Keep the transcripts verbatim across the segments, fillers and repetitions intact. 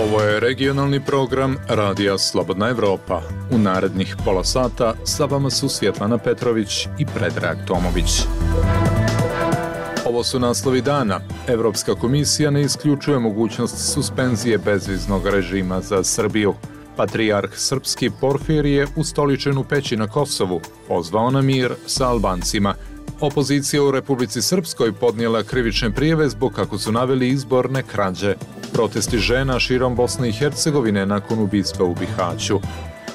Ovo je regionalni program Radija Slobodna Evropa. U narednih pola sata sa vama su Svjetlana Petrović i Predrag Tomović. Ovo su naslovi dana. Evropska komisija ne isključuje mogućnost suspenzije bezviznog režima za Srbiju. Patrijarh srpski Porfirije ustoličen u Peći na Kosovu pozvao na mir sa Albancima. Opozicija u Republici Srpskoj podnijela krivične prijave zbog, kako su naveli, izborne krađe. Protesti žena širom Bosne i Hercegovine nakon ubistva u Bihaću.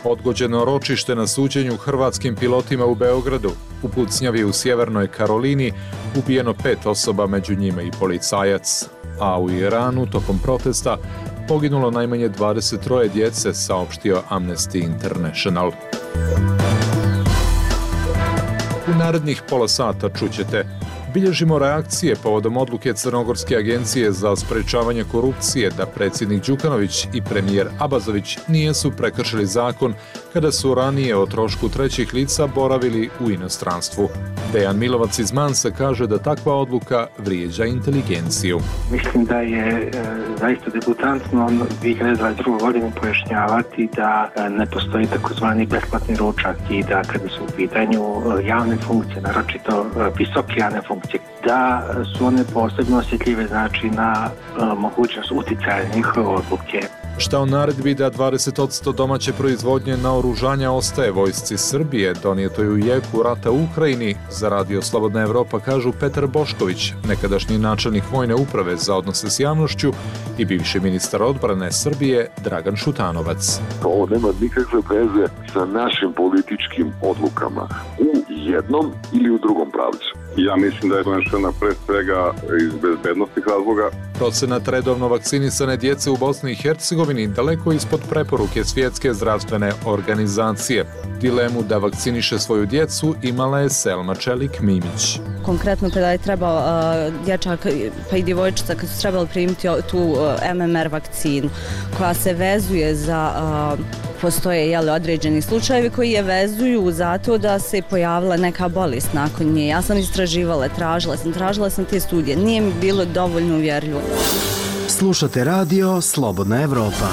Odgođeno ročište na suđenju hrvatskim pilotima u Beogradu. U pucnjavi u Sjevernoj Karolini ubijeno pet osoba, među njima i policajac. A u Iranu tokom protesta poginulo najmanje dvadeset troje djece, saopštio Amnesty International. U narednih pola sata čućete: bilježimo reakcije povodom odluke Crnogorske agencije za sprečavanje korupcije da predsjednik Đukanović i premijer Abazović nijesu prekršili zakon kada su ranije o trošku trećih lica boravili u inostranstvu. Dejan Milovac iz Mansa kaže da takva odluka vrijeđa inteligenciju. Mislim da je e, zaista debutantno dvije hiljade dvadeset druge. godine pojašnjavati da e, ne postoji takozvani besplatni ručak i da kada su u pitanju e, javne funkcije, naročito e, visoke javne funkcije, da su one posebno osjetljive, znači na e, mogućnost uticaja njihove odluke. Šta o naredbi da dvadeset posto domaće proizvodnje naoružanja ostaje vojsci Srbije, donijetoj u jeku rata u Ukrajini, za Radio Slobodna Evropa kažu Petar Bošković, nekadašnji načelnik vojne uprave za odnose s javnošću, i bivši ministar odbrane Srbije Dragan Šutanovac. Ovo nema nikakve veze sa našim političkim odlukama u jednom ili u drugom pravcu. Ja mislim da je donešena pre svega iz bezbednostnih razloga. Procenat redovno vakcinisane djece u Bosni i Hercegovini daleko ispod preporuke Svjetske zdravstvene organizacije. Dilemu da vakciniše svoju djecu imala je Selma Čelik-Mimić. Konkretno kada je trebao uh, dječak pa i djevojčica kad su trebali primiti tu uh, M M R vakcinu koja se vezuje za uh, postoje jeli, određeni slučajevi koji je vezuju zato da se pojavila neka bolest nakon nje. Ja sam istraživala, tražila sam, tražila sam te studije. Nije mi bilo dovoljno uvjerljivo. Slušate radio Slobodna Evropa.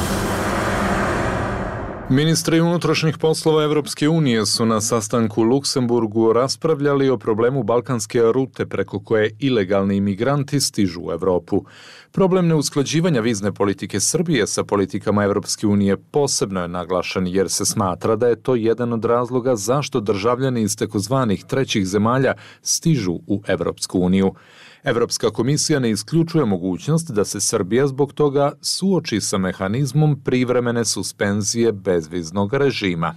Ministri unutrašnjih poslova Evropske unije su na sastanku u Luksemburgu raspravljali o problemu balkanske rute preko koje ilegalni imigranti stižu u Evropu. Problem neusklađivanja vizne politike Srbije sa politikama Evropske unije posebno je naglašen jer se smatra da je to jedan od razloga zašto državljani iz takozvanih trećih zemalja stižu u Evropsku uniju. Evropska komisija ne isključuje mogućnost da se Srbija zbog toga suoči sa mehanizmom privremene suspenzije bezviznog režima.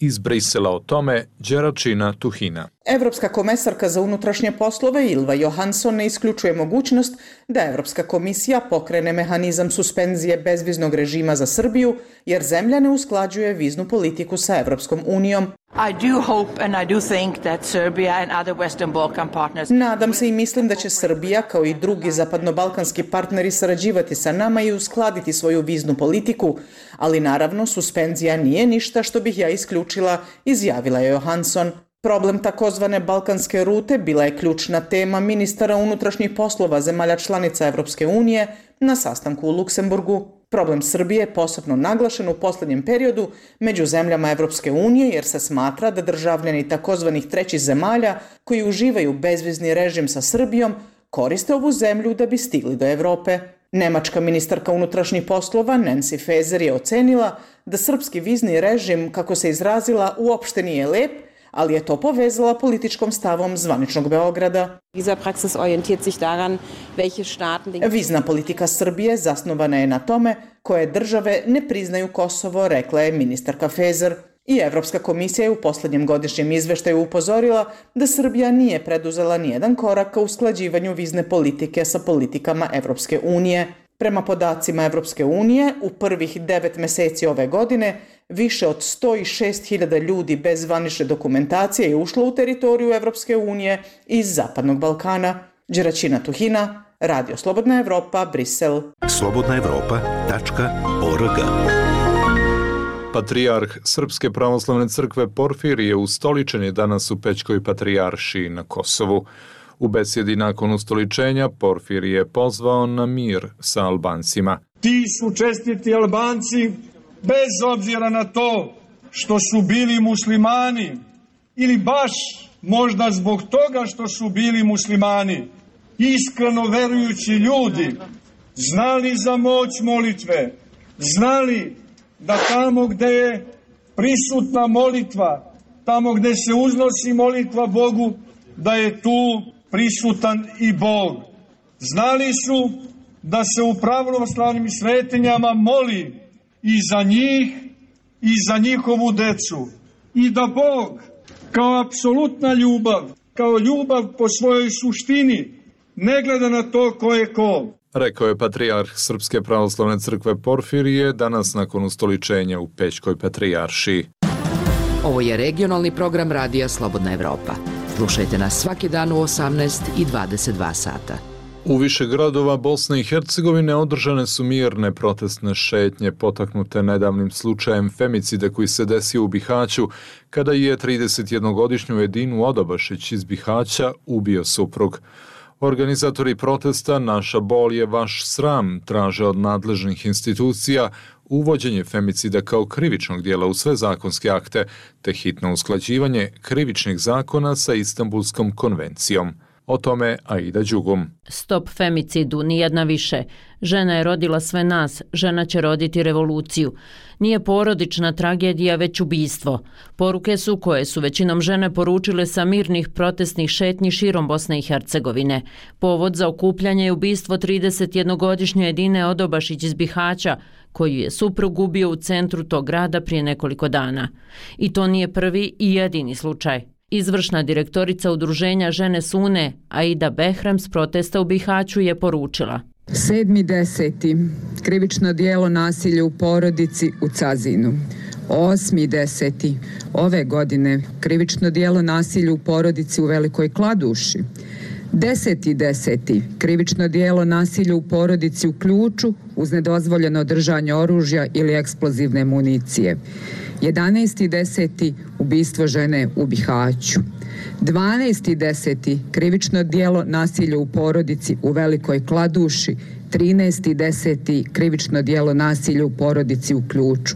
Iz Brisela o tome Đeračina Tuhina. Evropska komesarka za unutrašnje poslove Ylva Johansson ne isključuje mogućnost da Evropska komisija pokrene mehanizam suspenzije bezviznog režima za Srbiju, jer zemlja ne usklađuje viznu politiku sa Evropskom unijom. I do hope and I do think that Serbia and other Western Balkan partners... Nadam se i mislim da će Srbija, kao i drugi zapadnobalkanski partneri, sarađivati sa nama i uskladiti svoju viznu politiku, ali naravno suspenzija nije ništa što bih ja isključila, izjavila je Johansson. Problem takozvane balkanske rute bila je ključna tema ministara unutrašnjih poslova zemalja članica Evropske unije na sastanku u Luksemburgu. Problem Srbije je posebno naglašen u posljednjem periodu među zemljama Evropske unije jer se smatra da državljani takozvanih trećih zemalja koji uživaju bezvizni režim sa Srbijom koriste ovu zemlju da bi stigli do Evrope. Nemačka ministarka unutrašnjih poslova Nancy Faeser je ocenila da srpski vizni režim, kako se izrazila, uopšte nije lep, ali je to povezala političkom stavom zvaničnog Beograda. Vizna politika Srbije zasnovana je na tome koje države ne priznaju Kosovo, rekla je ministarka Faeser. I Evropska komisija je u posljednjem godišnjem izveštaju upozorila da Srbija nije preduzela nijedan korak ka usklađivanju vizne politike sa politikama Evropske unije. Prema podacima Evropske unije, u prvih devet mjeseci ove godine više od sto šest hiljada ljudi bez zvanične dokumentacije je ušlo u teritoriju Evropske unije iz Zapadnog Balkana. Đeračina Tuhina, Radio Slobodna Evropa, Brisel. slobodna evropa tačka org Patrijarh Srpske pravoslavne crkve Porfirije ustoličen je danas u Pećkoj patrijaršiji na Kosovu. U besjedi nakon ustoličenja Porfirije je pozvao na mir sa Albancima. Ti su čestiti Albanci, bez obzira na to što su bili muslimani ili baš možda zbog toga što su bili muslimani, iskreno verujući ljudi, znali za moć molitve, znali da tamo gde je prisutna molitva, tamo gde se uznosi molitva Bogu, da je tu prisutan i Bog. Znali su da se u pravoslavnim svetinjama moli i za njih i za njihovu decu. I da Bog kao apsolutna ljubav, kao ljubav po svojoj suštini, ne gleda na to ko je ko. Rekao je patrijarh Srpske pravoslavne crkve Porfirije danas nakon ustoličenja u Pećkoj patrijaršiji. Ovo je regionalni program Radija Slobodna Evropa. Slušajte nas svaki dan u osamnaest i dvadeset dva sata. U više gradova Bosne i Hercegovine održane su mirne protestne šetnje potaknute nedavnim slučajem femicida koji se desio u Bihaću kada je tridesetjednogodišnju Edinu Odobašić iz Bihaća ubio suprug. Organizatori protesta Naša bol je vaš sram traže od nadležnih institucija uvođenje femicida kao krivičnog dijela u sve zakonske akte te hitno usklađivanje krivičnih zakona sa Istanbulskom konvencijom. O tome Aida Đugum. Stop femicidu, nijedna više. Žena je rodila sve nas, žena će roditi revoluciju. Nije porodična tragedija, već ubistvo. Poruke su koje su većinom žene poručile sa mirnih protestnih šetnji širom Bosne i Hercegovine. Povod za okupljanje je ubistvo tridesetjednogodišnje Edine Odobašić iz Bihaća, koju je suprug ubio u centru tog grada prije nekoliko dana. I to nije prvi i jedini slučaj. Izvršna direktorica udruženja Žene Sune, Aida Behrem, s protesta u Bihaću je poručila. sedmi deseti krivično dijelo nasilja u porodici u Cazinu. osmi deseti ove godine krivično dijelo nasilja u porodici u Velikoj Kladuši. deseti deseti krivično dijelo nasilja u porodici u Ključu uz nedozvoljeno držanje oružja ili eksplozivne municije. jedanaesti deseti ubistvo žene u Bihaću. dvanaesti deseti krivično dijelo nasilja u porodici u Velikoj Kladuši. trinaesti deseti krivično dijelo nasilja u porodici u Ključu.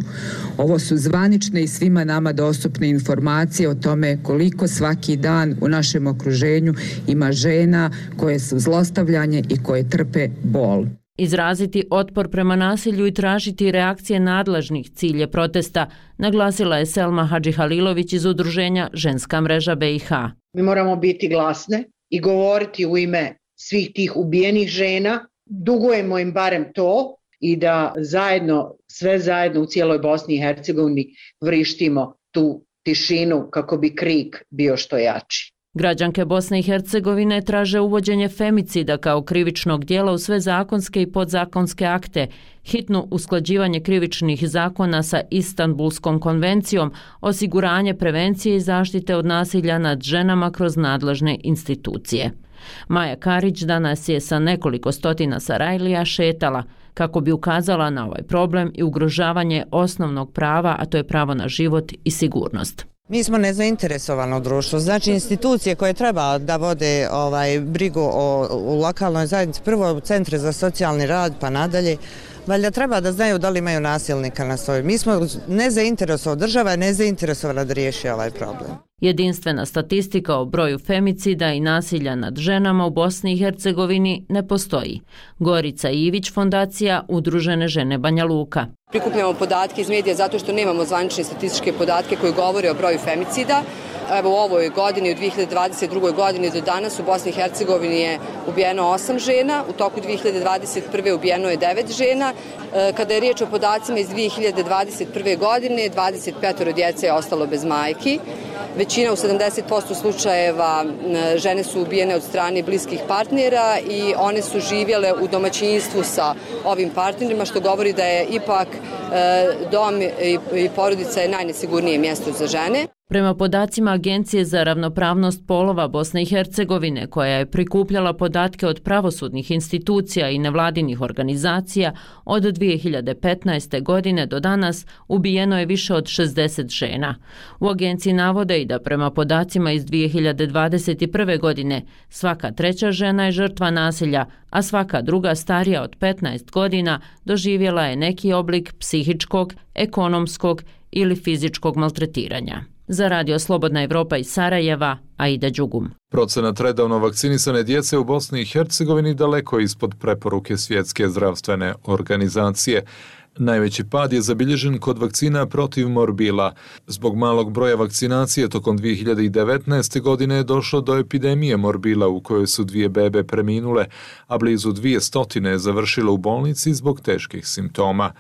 Ovo su zvanične i svima nama dostupne informacije o tome koliko svaki dan u našem okruženju ima žena koje su zlostavljanje i koje trpe bol. Izraziti otpor prema nasilju i tražiti reakcije nadležnih cilje protesta, naglasila je Selma Hadžihalilović iz udruženja Ženska mreža B i H. Mi moramo biti glasne i govoriti u ime svih tih ubijenih žena, dugujemo im barem to i da zajedno, sve zajedno u cijeloj Bosni i Hercegovini vrištimo tu tišinu kako bi krik bio što jači. Građanke Bosne i Hercegovine traže uvođenje femicida kao krivičnog dijela u sve zakonske i podzakonske akte, hitno usklađivanje krivičnih zakona sa Istanbulskom konvencijom, osiguranje prevencije i zaštite od nasilja nad ženama kroz nadležne institucije. Maja Karić danas je sa nekoliko stotina Sarajlija šetala kako bi ukazala na ovaj problem i ugrožavanje osnovnog prava, a to je pravo na život i sigurnost. Mi smo nezainteresovano društvo, znači institucije koje treba da vode ovaj, brigu o, o lokalnoj zajednici, prvo centre za socijalni rad pa nadalje, valjda treba da znaju da li imaju nasilnika na svojoj. Mi smo nezainteresovani, država je nezainteresovana da riješi ovaj problem. Jedinstvena statistika o broju femicida i nasilja nad ženama u Bosni i Hercegovini ne postoji. Gorica Ivić, fondacija Udružene žene Banja Luka. Prikupljamo podatke iz medija zato što nemamo zvanične statističke podatke koji govore o broju femicida. Evo u ovoj godini, u dvije hiljade dvadeset drugoj godini do danas u Bosni i Hercegovini je ubijeno osam žena, u toku dvije hiljade dvadeset prve ubijeno je devet žena. Kada je riječ o podacima iz dvije hiljade dvadeset prve godine, dvadeset petoro djece je ostalo bez majki. Većina u sedamdeset posto slučajeva žene su ubijene od strane bliskih partnera i one su živjele u domaćinstvu sa ovim partnerima, što govori da je ipak dom i porodica je najnesigurnije mjesto za žene. Prema podacima Agencije za ravnopravnost polova Bosne i Hercegovine, koja je prikupljala podatke od pravosudnih institucija i nevladinih organizacija, od dvije hiljade petnaeste. godine do danas ubijeno je više od šezdeset žena. U agenciji navode i da prema podacima iz dvije hiljade dvadeset prve. godine svaka treća žena je žrtva nasilja, a svaka druga starija od petnaest godina doživjela je neki oblik psihičkog, ekonomskog ili fizičkog maltretiranja. Za Radio Slobodna Evropa iz Sarajeva, Aida Đugum. Procenat redovno vakcinisane djece u Bosni i Hercegovini daleko ispod preporuke Svjetske zdravstvene organizacije. Najveći pad je zabilježen kod vakcina protiv morbila. Zbog malog broja vakcinacije tokom dvije hiljade devetnaeste. godine je došlo do epidemije morbila u kojoj su dvije bebe preminule, a blizu dvije stotine je završilo u bolnici zbog teških simptoma.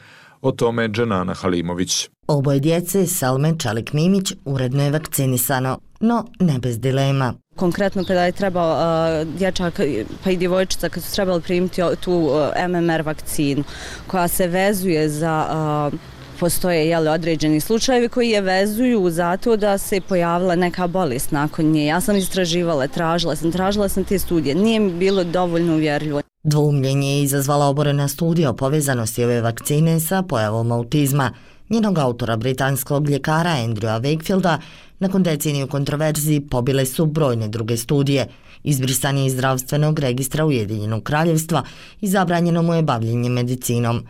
O tome Dženana Halimović. Oboje djece, Selme Čelik-Mimić, uredno je vakcinisano, no ne bez dilema. Konkretno kada je trebao uh, dječak pa i djevojčica kad su trebali primiti tu uh, M M R vakcinu koja se vezuje za uh, postoje jeli, određeni slučajevi koji je vezuju zato da se pojavila neka bolest nakon nje. Ja sam istraživala, tražila sam, tražila sam te studije, nije mi bilo dovoljno uvjerljivo. Dvoumljenje je izazvala oborena studija o povezanosti ove vakcine sa pojavom autizma. Njenog autora, britanskog ljekara Andrewa Wakefielda, nakon deceniju kontroverziji pobile su brojne druge studije. Izbrisan je iz zdravstvenog registra Ujedinjenog kraljevstva i zabranjeno mu je bavljenje medicinom.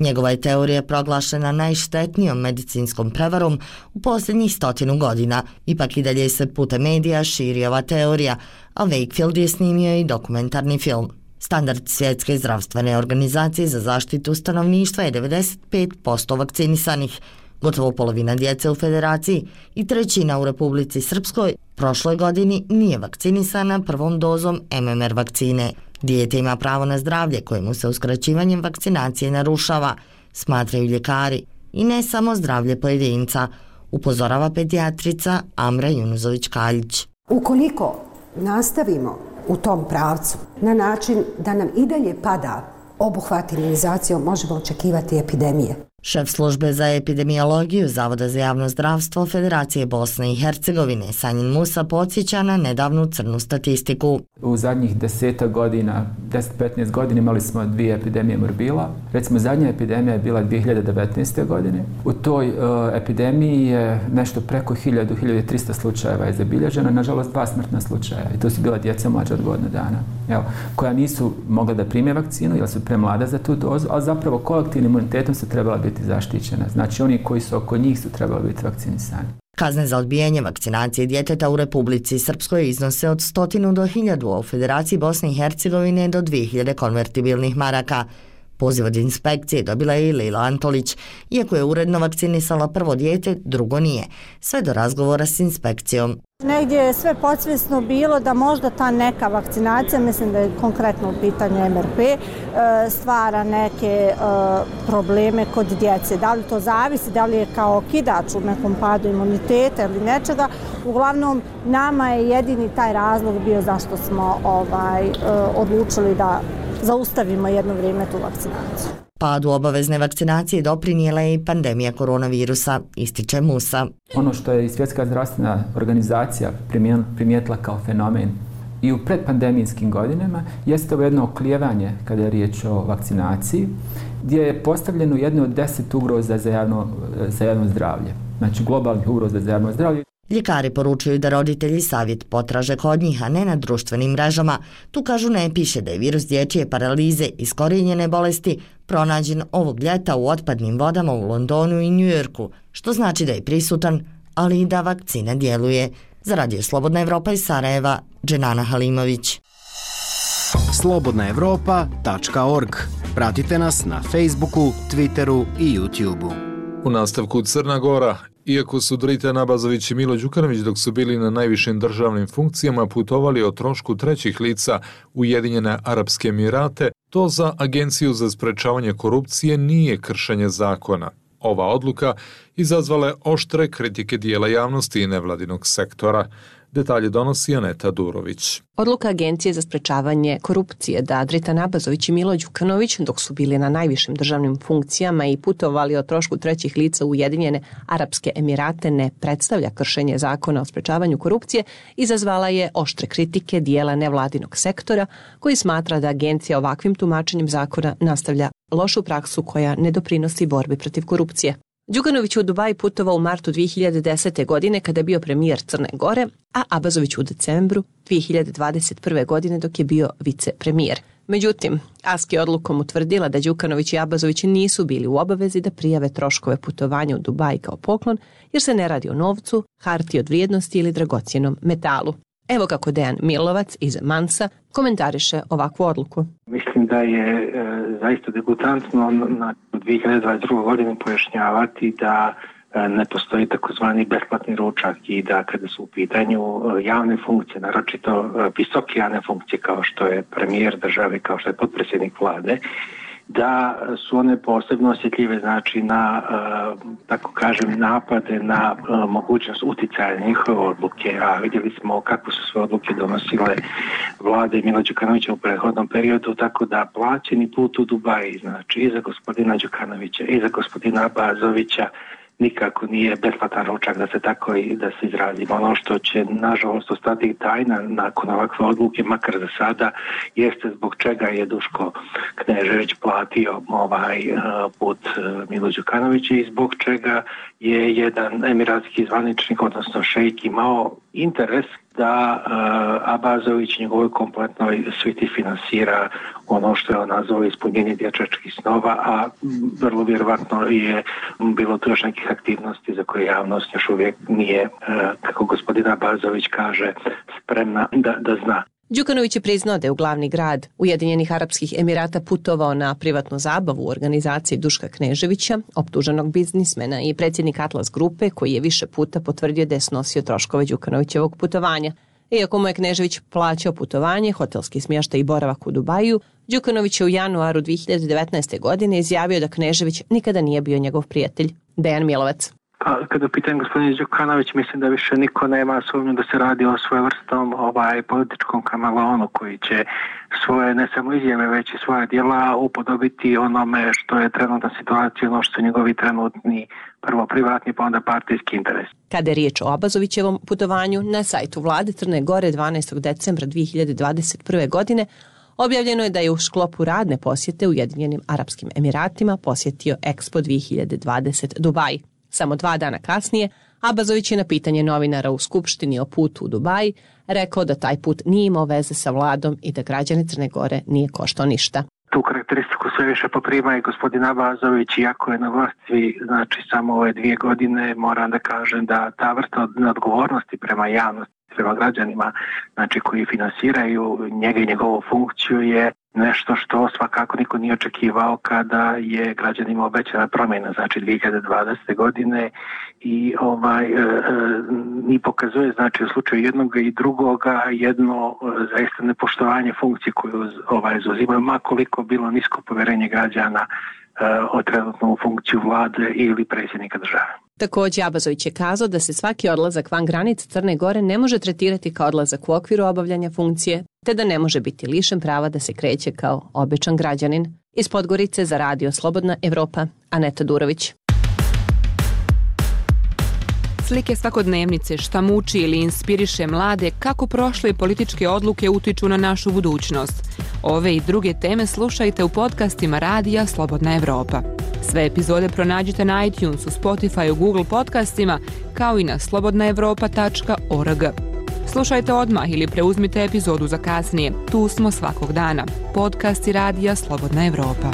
Njegova je teorija proglašena najštetnijom medicinskom prevarom u posljednjih stotinu godina. Ipak i dalje se putem medija širi ova teorija, a Wakefield je snimio i dokumentarni film. Standard Svjetske zdravstvene organizacije za zaštitu stanovništva je devedeset pet posto vakcinisanih, gotovo polovina djece u Federaciji i trećina u Republici Srpskoj prošloj godini nije vakcinisana prvom dozom M M R vakcine. Dijete ima pravo na zdravlje kojemu se uskraćivanjem vakcinacije narušava, smatraju ljekari, i ne samo zdravlje pojedinca, upozorava pedijatrica Amra Junuzović-Kaljić. Ukoliko nastavimo u tom pravcu na način da nam i dalje pada obuhvat imunizacijom, možemo očekivati epidemije. Šef službe za epidemiologiju Zavoda za javno zdravstvo Federacije Bosne i Hercegovine Sanjin Musa podsjeća na nedavnu crnu statistiku. U zadnjih deseta godina, deset do petnaest godina imali smo dvije epidemije morbila. Recimo, zadnja epidemija je bila dvije hiljade devetnaeste. godine. U toj uh, epidemiji je nešto preko hiljadu, hiljadu trista slučajeva je zabilježeno, nažalost dva smrtna slučaja. I to su bila djeca mlađa od godinu dana, evo, koja nisu mogla da prime vakcinu jer su premlada za tu dozu, ali zapravo kolektivnim imunitetom su trebala biti zaštićena. Znači, oni koji su oko njih su trebali biti vakcinisani. Kazne za odbijanje vakcinacije djeteta u Republici Srpskoj iznose od stotinu do hiljadu, a u Federaciji Bosne i Hercegovine do dvije hiljade konvertibilnih maraka. Poziv od inspekcije dobila je i Lila Antolić, iako je uredno vakcinisala prvo dijete, drugo nije, sve do razgovora s inspekcijom. Negdje je sve podsvjesno bilo da možda ta neka vakcinacija, mislim da je konkretno u pitanju M R P, stvara neke probleme kod djece. Da li to zavisi, da li je kao kidač u nekom padu imuniteta ili nečega. Uglavnom, nama je jedini taj razlog bio zašto smo ovaj, odlučili da zaustavimo jedno vrijeme tu vakcinaciju. Padu obavezne vakcinacije doprinijela je i pandemija koronavirusa, ističe Musa. Ono što je i Svjetska zdravstvena organizacija primijetila kao fenomen i u predpandemijskim godinama jeste ovo jedno oklijevanje kada je riječ o vakcinaciji, gdje je postavljeno jedno od deset ugroza za javno, za javno zdravlje. Znači globalnih ugroza za javno zdravlje. Ljekari poručuju da roditelji savjet potraže kod njih, a ne na društvenim mrežama. Tu kažu ne piše da je virus dječje paralize iskorijenjene bolesti pronađen ovog ljeta u otpadnim vodama u Londonu i Njujorku, što znači da je prisutan, ali i da vakcina djeluje. Za Radio Slobodna Evropa iz Sarajeva, Dženana Halimović. slobodna evropa tačka org. Pratite nas na Facebooku, Twitteru i YouTubeu. U nastavku Crna Gora. Iako su Drita Nabazović i Milo Đukanović dok su bili na najvišim državnim funkcijama putovali o trošku trećih lica Ujedinjene Arapske Emirate, to za Agenciju za sprečavanje korupcije nije kršenje zakona. Ova odluka izazvala je oštre kritike dijela javnosti i nevladinog sektora. Detalje donosi Aneta Durović. Odluka Agencije za sprečavanje korupcije da Dritan Abazović i Milo Đukanović, dok su bili na najvišim državnim funkcijama i putovali o trošku trećih lica u Ujedinjene Arapske Emirate, ne predstavlja kršenje zakona o sprečavanju korupcije, izazvala je oštre kritike dijela nevladinog sektora koji smatra da agencija ovakvim tumačenjem zakona nastavlja lošu praksu koja ne doprinosi borbi protiv korupcije. Đukanović u Dubai putovao u martu dvije hiljade desete. godine kada je bio premijer Crne Gore, a Abazović u decembru dvije hiljade dvadeset prve. godine dok je bio vicepremijer. Međutim, Aski je odlukom utvrdila da Đukanović i Abazović nisu bili u obavezi da prijave troškove putovanja u Dubai kao poklon, jer se ne radi o novcu, hartiji od vrijednosti ili dragocjenom metalu. Evo kako Dejan Milovac iz Mansa komentariše ovakvu odluku. Mislim da je e, zaista degutantno na dvije hiljade dvadeset druge. godine pojašnjavati da e, ne postoji takozvani besplatni ručak i da kada su u pitanju javne funkcije, naročito e, visoke javne funkcije kao što je premijer države, kao što je potpredsjednik vlade, da su one posebno osjetljive, znači na, tako kažem, napade na mogućnost uticaja njihove odluke, a vidjeli smo kako su sve odluke donosile vlade Mila Đukanovića u prethodnom periodu, tako da plaćeni put u Dubai, znači i za gospodina Đukanovića i za gospodina Abazovića, nikako nije besplatan ručak, da se tako i da se izrazimo. Ono što će nažalost ostati tajna nakon ovakve odluke, makar za sada, jeste zbog čega je Duško Knežević platio ovaj put Milo Đukanovića i zbog čega je jedan emiratski zvaničnik, odnosno šejk, imao interes da uh, Abazović njegovoj kompletnoj sviti finansira ono što je on nazvao ispunjenje dječačkih snova, a vrlo vjerovatno je bilo tu još nekih aktivnosti za koje javnost još uvijek nije, uh, kako gospodin Abazović kaže, spremna da, da zna. Đukanović je priznao da je u glavni grad Ujedinjenih Arapskih Emirata putovao na privatnu zabavu u organizaciji Duška Kneževića, optuženog biznismena i predsjednik Atlas grupe, koji je više puta potvrdio da je snosio troškove Đukanovićevog putovanja. Iako mu je Knežević plaćao putovanje, hotelski smještaj i boravak u Dubaju, Đukanović je u januaru dvije hiljade devetnaeste. godine izjavio da Knežević nikada nije bio njegov prijatelj. Dejan Milovac. Pa, kada pitam gospodin Đukanović, mislim da više niko nema sumnju da se radi o svojevrstom ovaj, političkom kameleonu koji će svoje ne samo izjave, već i svoje djela upodobiti onome što je trenutna situacija, ono što su njegovi trenutni prvo privatni, pa onda partijski interes. Kada je riječ o Abazovićevom putovanju, na sajtu vlade Crne Gore dvanaestog decembra dvije hiljade dvadeset prve. godine objavljeno je da je u sklopu radne posjete Ujedinjenim Arapskim Emiratima posjetio Expo dvije hiljade dvadeset Dubai. Samo dva dana kasnije, Abazović je na pitanje novinara u Skupštini o putu u Dubai rekao da taj put nije imao veze sa vladom i da građane Crne Gore nije koštao ništa. Tu karakteristiku sve više poprima i gospodin Abazović, iako je na vlasti, znači samo ove dvije godine, moram da kažem da ta vrsta neodgovornosti prema javnosti, prema građanima, znači koji finansiraju njega i njegovu funkciju, je nešto što svakako niko nije očekivao kada je građanima obećana promjena, znači dvije hiljade dvadesete. godine i ovaj e, e, ni pokazuje, znači u slučaju jednog i drugoga jedno e, zaista nepoštovanje funkcije koju ovaj zauzimaju, ma koliko bilo nisko povjerenje građana e, o trenutnu funkciju vlade ili predsjednika države. Također, Abazović je kazao da se svaki odlazak van granica Crne Gore ne može tretirati kao odlazak u okviru obavljanja funkcije, te da ne može biti lišen prava da se kreće kao običan građanin. Iz Podgorice za radio Slobodna Evropa, Aneta Durović. Slike svakodnevnice, šta muči ili inspiriše mlade, kako prošle političke odluke utiču na našu budućnost. Ove i druge teme slušajte u podcastima radija Slobodna Evropa. Sve epizode pronađite na iTunesu, Spotify, Google podcastima, kao i na slobodna evropa tačka org. Slušajte odmah ili preuzmite epizodu za kasnije. Tu smo svakog dana. Podcasti radija Slobodna Evropa.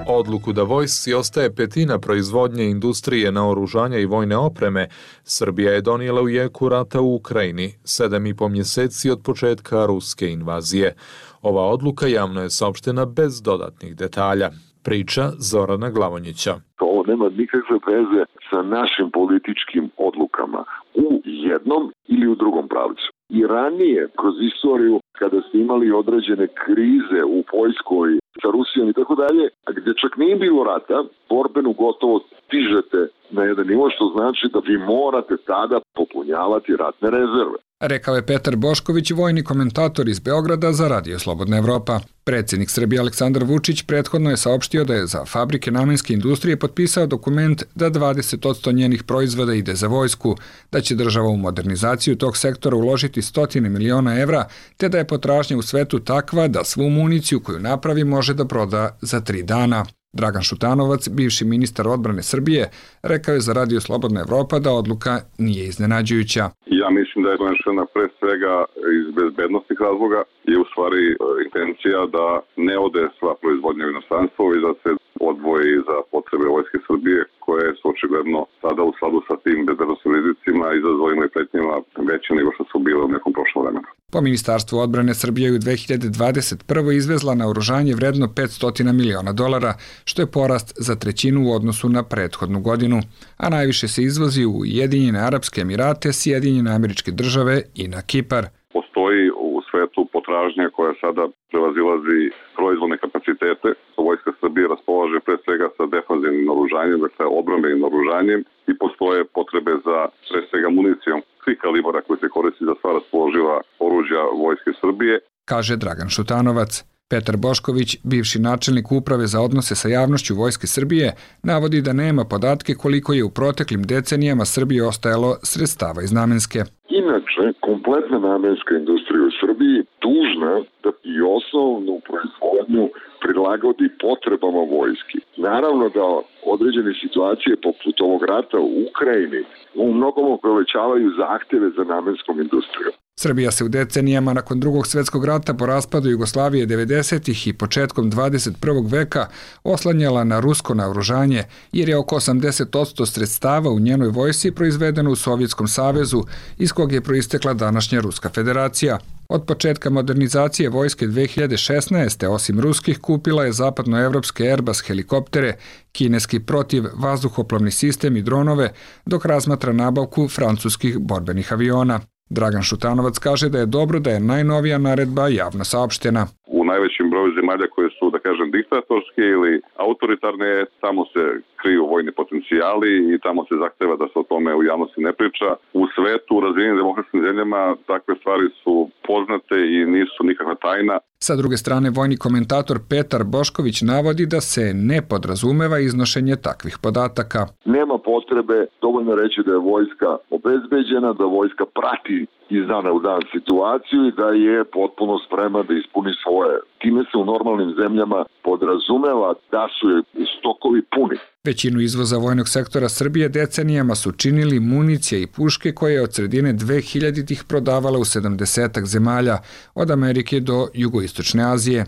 Odluku da vojsci ostaje petina proizvodnje industrije naoružanja i vojne opreme, Srbija je donijela u jeku rata u Ukrajini, sedam i po mjeseci od početka ruske invazije. Ova odluka javno je saopštena bez dodatnih detalja. Priča Zorana Glavonjića. Ovo nema nikakve veze sa našim političkim odlukama u jednom ili u drugom pravcu. I ranije, kroz istoriju, kada ste imali određene krize u Poljskoj, sa Rusijom i tako dalje, a gdje čak nije bilo rata, borbenu gotovost stižete na jedan nivo, što znači da vi morate tada popunjavati ratne rezerve. Rekao je Petar Bošković, vojni komentator iz Beograda za Radio Slobodna Evropa. Predsjednik Srbije Aleksandar Vučić prethodno je saopštio da je za fabrike namenske industrije potpisao dokument da dvadeset posto njenih proizvoda ide za vojsku, da će država u modernizaciju tog sektora uložiti stotine miliona evra, te da je potražnja u svetu takva da svu municiju koju napravi može da proda za tri dana. Dragan Šutanovac, bivši ministar odbrane Srbije, rekao je za Radio Slobodna Evropa da odluka nije iznenađujuća. Ja mislim da je donešena pre svega iz bezbednostnih razloga i u stvari intencija da ne ode sva proizvodnja u inostranstvo i da se odvoji za potrebe Vojske Srbije, koje su očigledno sada u skladu sa tim bezbednostnim rizicima, izazovima i pretnjama veće nego što su bile u nekom prošlom vremenu. Po Ministarstvu odbrane Srbije je u dve hiljade dvadeset prvoj izvezla naoružanje vredno petsto miliona dolara, što je porast za trećinu u odnosu na prethodnu godinu, a najviše se izvozi u Ujedinjene Arapske Emirate, Sjedinjene Američke Države i na Kipar. Postoji u svetu potražnja koja sada prevazilazi proizvodne kapacitete. Vojska Srbije raspolaže pre svega sa defanzivnim naoružanjem, dakle odbrambenim naoružanjem, i postoje potrebe za pre svega municijom svih kalibara koji se koristi za sva raspoloživa oružja Vojske Srbije. Kaže Dragan Šutanovac. Petar Bošković, bivši načelnik uprave za odnose sa javnošću Vojske Srbije, navodi da nema podatke koliko je u proteklim decenijama Srbiji ostajalo sredstava iz namenske. Inače, kompletna namenska industrija u Srbiji dužna da i osnovnu proizvodnju prilagodi potrebama vojski. Naravno da određene situacije poput ovog rata u Ukrajini u mnogom povećavaju zahtjeve za namenskom industrijom. Srbija se u decenijama nakon drugog svjetskog rata po raspadu Jugoslavije devedesetih i početkom dvadeset prvog veka oslanjala na rusko naoružanje, jer je oko osamdeset posto sredstava u njenoj vojsci proizvedeno u Sovjetskom savezu, iz kog je proistekla današnja Ruska federacija. Od početka modernizacije vojske dve hiljade šesnaeste. osim ruskih kupila je zapadnoevropske Airbus helikoptere, kineski protiv vazduhoplovni sistem i dronove, dok razmatra nabavku francuskih borbenih aviona. Dragan Šutanovac kaže da je dobro da je najnovija naredba javno saopštena. U najvećem broju zemalja koje su, da kažem, diktatorske ili autoritarne, tamo se kriju vojni potencijali i tamo se zahteva da se o tome u javnosti ne priča. U svetu, u razvijenim demokratskim zemljama, takve stvari su poznate i nisu nikakva tajna. Sa druge strane, vojni komentator Petar Bošković navodi da se ne podrazumeva iznošenje takvih podataka. Nema potrebe, dovoljno reći da je vojska obezbeđena, da vojska prati iz dana u dan situaciju i da je potpuno spremna da ispuni svoje. Time se u normalnim zemljama podrazumeva da su je stokovi puni. Većinu izvoza vojnog sektora Srbije decenijama su činili municija i puške koje je od sredine dve hiljaditih prodavala u sedamdesetak zemalja, od Amerike do Jugoistočne Azije.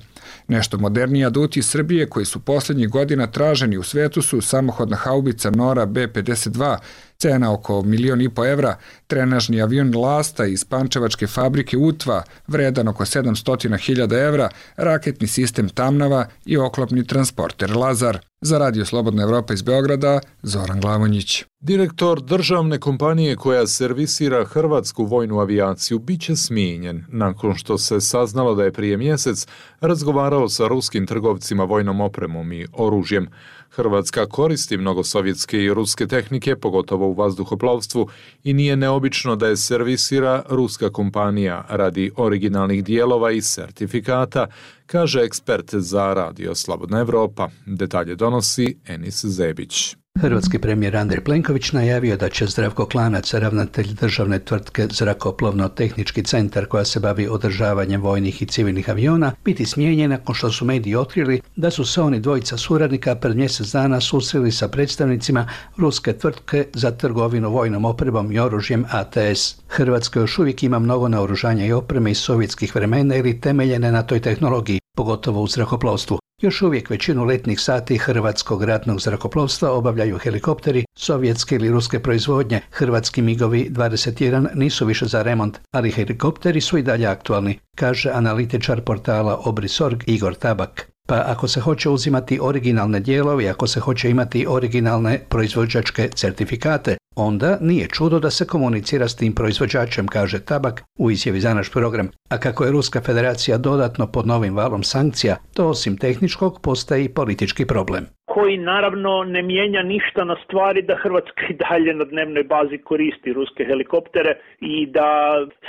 Nešto moderniji aduti Srbije koji su posljednjih godina traženi u svetu su samohodna haubica Nora B pedeset dva, cena oko milion i po evra, trenažni avion Lasta iz pančevačke fabrike Utva, vredan oko sedamsto hiljada evra, raketni sistem Tamnava i oklopni transporter Lazar. Za Radio Slobodna Evropa iz Beograda, Zoran Glavonjić. Direktor državne kompanije koja servisira hrvatsku vojnu avijaciju biće smijenjen nakon što se saznalo da je prije mjesec razgovarao sa ruskim trgovcima vojnom opremom i oružjem. Hrvatska koristi mnogo sovjetske i ruske tehnike, pogotovo u vazduhoplovstvu, i nije neobično da je servisira ruska kompanija radi originalnih dijelova i sertifikata, kaže ekspert za Radio Slobodna Evropa. Detalje donosi Enis Zebić. Hrvatski premijer Andrej Plenković najavio da će Zdravko Klanac, ravnatelj državne tvrtke Zrakoplovno-tehnički centar koja se bavi održavanjem vojnih i civilnih aviona, biti smijenjen nakon što su mediji otkrili da su se oni dvojica suradnika pred mjesec dana susreli sa predstavnicima ruske tvrtke za trgovinu vojnom opremom i oružjem A T S. Hrvatska još uvijek ima mnogo naoružanja i opreme iz sovjetskih vremena ili temeljene na toj tehnologiji, pogotovo u zrakoplovstvu. Još uvijek većinu letnih sati hrvatskog ratnog zrakoplovstva obavljaju helikopteri sovjetske ili ruske proizvodnje. Hrvatski migovi dvadeset jedan nisu više za remont, ali helikopteri su i dalje aktualni, kaže analitičar portala Obrisorg Igor Tabak. Pa ako se hoće uzimati originalne dijelove, ako se hoće imati originalne proizvođačke certifikate, onda nije čudo da se komunicira s tim proizvođačem, kaže Tabak u izjavi za naš program. A kako je Ruska federacija dodatno pod novim valom sankcija, to osim tehničkog postaje i politički problem. Koji naravno ne mijenja ništa na stvari da Hrvatska i dalje na dnevnoj bazi koristi ruske helikoptere i da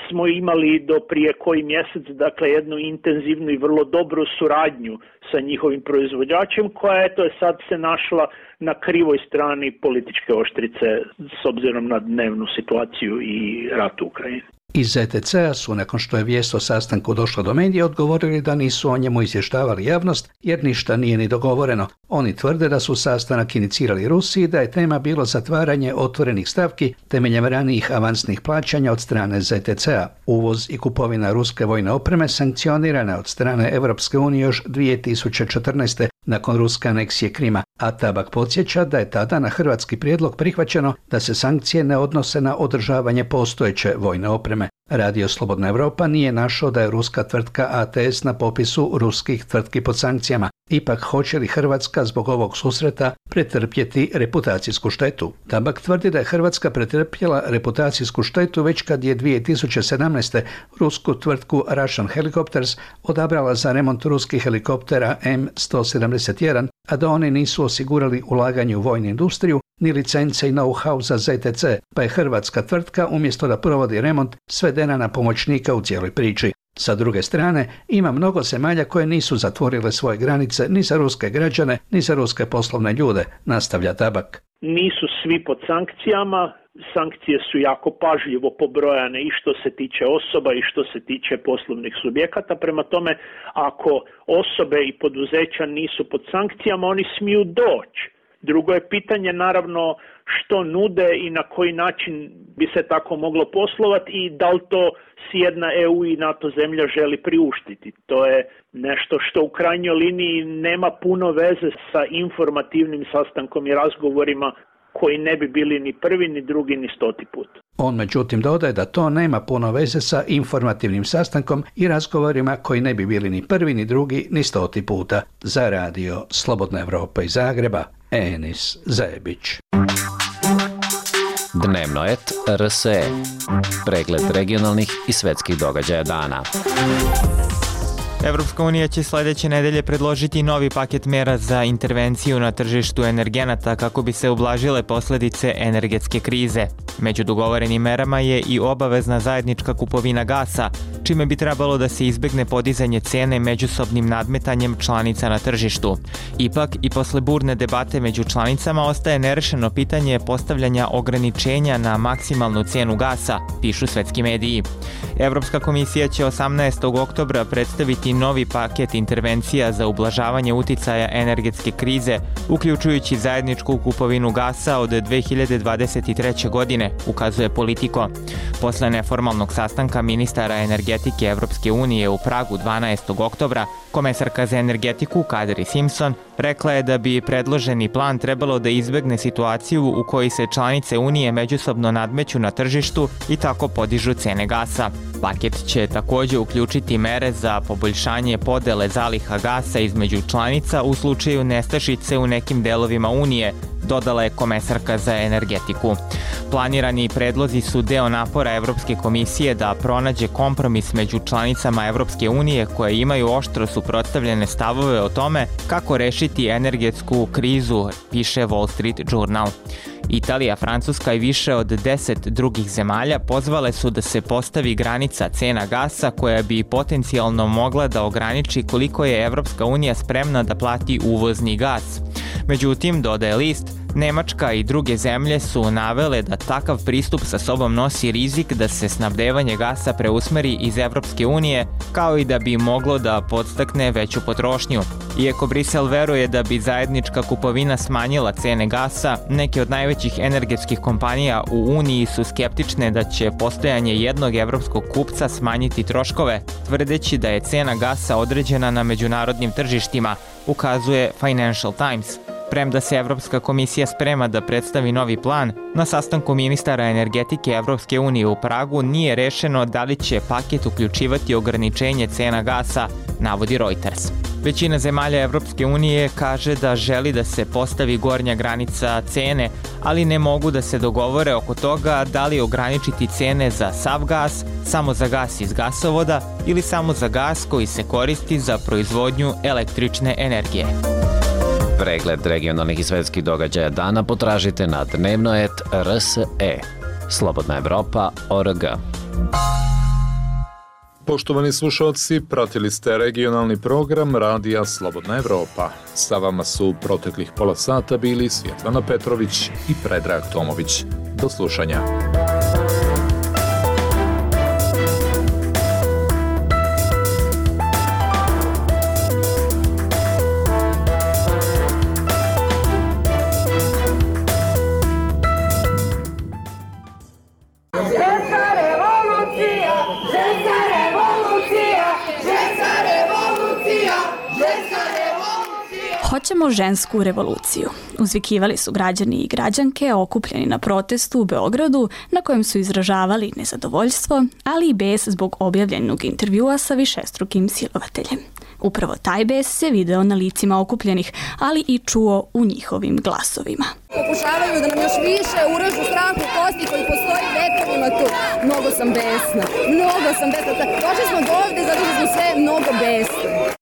smo imali do prije koji mjesec dakle jednu intenzivnu i vrlo dobru suradnju sa njihovim proizvođačem koja je to je sad se našla na krivoj strani političke oštrice s obzirom na dnevnu situaciju i rat u Ukrajini. Iz Z T C-a su, nakon što je vijest o sastanku došla do medija, odgovorili da nisu o njemu izvještavali javnost jer ništa nije ni dogovoreno. Oni tvrde da su sastanak inicirali Rusi i da je tema bilo zatvaranje otvorenih stavki temeljem ranijih avansnih plaćanja od strane Z T C-a. Uvoz i kupovina ruske vojne opreme sankcionirana od strane Europske unije još dvije tisuće četrnaeste. nakon ruske aneksije Krima, a Tabak podsjeća da je tada na hrvatski prijedlog prihvaćeno da se sankcije ne odnose na održavanje postojeće vojne opreme. Radio Slobodna Evropa nije našao da je ruska tvrtka A T S na popisu ruskih tvrtki pod sankcijama. Ipak, hoće li Hrvatska zbog ovog susreta pretrpjeti reputacijsku štetu? Tabak tvrdi da je Hrvatska pretrpjela reputacijsku štetu već kad je dvije tisuće sedamnaeste. rusku tvrtku Russian Helicopters odabrala za remont ruskih helikoptera M sto sedamdeset jedan, a da oni nisu osigurali ulaganje u vojnu industriju ni licence i know-how za Z T C, pa je hrvatska tvrtka umjesto da provodi remont svedena na pomoćnika u cijeloj priči. Sa druge strane, ima mnogo zemalja koje nisu zatvorile svoje granice ni za ruske građane, ni za ruske poslovne ljude, nastavlja Tabak. Nisu svi pod sankcijama, sankcije su jako pažljivo pobrojane i što se tiče osoba i što se tiče poslovnih subjekata, prema tome ako osobe i poduzeća nisu pod sankcijama, oni smiju doći. Drugo je pitanje naravno što nude i na koji način bi se tako moglo poslovati i da li to si jedna E U i NATO zemlja želi priuštiti. To je nešto što u krajnjoj liniji nema puno veze sa informativnim sastankom i razgovorima koji ne bi bili ni prvi, ni drugi, ni stoti put. On međutim dodaje da to nema puno veze sa informativnim sastankom i razgovorima koji ne bi bili ni prvi, ni drugi, ni stoti puta. Za radio Slobodna Evropa iz Zagreba, Enis Zajebić. Dnevno et R S E. Pregled regionalnih i svetskih događaja dana. Evropska unija će sljedeće nedelje predložiti novi paket mera za intervenciju na tržištu energenata kako bi se ublažile posljedice energetske krize. Među dogovorenim merama je i obavezna zajednička kupovina gasa, čime bi trebalo da se izbegne podizanje cene međusobnim nadmetanjem članica na tržištu. Ipak, i posle burne debate među članicama ostaje nerešeno pitanje postavljanja ograničenja na maksimalnu cenu gasa, pišu svetski mediji. Evropska komisija će osamnaestog oktobra predstaviti novi paket intervencija za ublažavanje uticaja energetske krize, uključujući zajedničku kupovinu gasa od dve hiljade dvadeset treće. godine, ukazuje Politico. Posle neformalnog sastanka ministara energetike Evropske unije u Pragu dvanaestog oktobra, komesarka za energetiku Kadri Simpson rekla je da bi predloženi plan trebalo da izbegne situaciju u kojoj se članice Unije međusobno nadmeću na tržištu i tako podižu cene gasa. Paket će također uključiti mere za poboljšanje podele zaliha gasa između članica u slučaju nestašice u nekim delovima Unije, dodala je komesarka za energetiku. Planirani predlozi su deo napora Evropske komisije da pronađe kompromis među članicama Evropske unije koje imaju oštro suprotstavljene stavove o tome kako rešiti energetsku krizu, piše Wall Street Journal. Italija, Francuska i više od deset drugih zemalja pozvale su da se postavi granica cena gasa koja bi potencijalno mogla da ograniči koliko je Evropska unija spremna da plati uvozni gas. Međutim, dodaje list, Nemačka i druge zemlje su navele da takav pristup sa sobom nosi rizik da se snabdevanje gasa preusmeri iz Evropske unije, kao i da bi moglo da podstakne veću potrošnju. Iako Brisel veruje da bi zajednička kupovina smanjila cene gasa, neke od najvećih energetskih kompanija u Uniji su skeptične da će postojanje jednog evropskog kupca smanjiti troškove, tvrdeći da je cena gasa određena na međunarodnim tržištima, ukazuje Financial Times. Premda se Evropska komisija sprema da predstavi novi plan, na sastanku ministara energetike Evropske unije u Pragu nije rešeno da li će paket uključivati ograničenje cena gasa, navodi Reuters. Većina zemalja Evropske unije kaže da želi da se postavi gornja granica cene, ali ne mogu da se dogovore oko toga da li ograničiti cene za sav gas, samo za gas iz gasovoda ili samo za gas koji se koristi za proizvodnju električne energije. Pregled regionalnih i svetskih događaja dana potražite na dnevnoet R S E. Slobodna Evropa O R G. Poštovani slušalci, pratili ste regionalni program Radija Slobodna Evropa. Sa vama su proteklih pola sata bili Svjetlana Petrović i Predrag Tomović. Do slušanja. Hoćemo žensku revoluciju. Uzvikivali su građani i građanke okupljeni na protestu u Beogradu na kojem su izražavali nezadovoljstvo, ali i bes zbog objavljenog intervjua sa višestrukim silovateljem. Upravo taj bes se video na licima okupljenih, ali i čuo u njihovim glasovima. Pokušavaju da nam još više uražu strah u kosti koji postoji vekovima tu. Mnogo sam besna, mnogo sam besna. Došli smo do ovde zato što smo sve mnogo besne.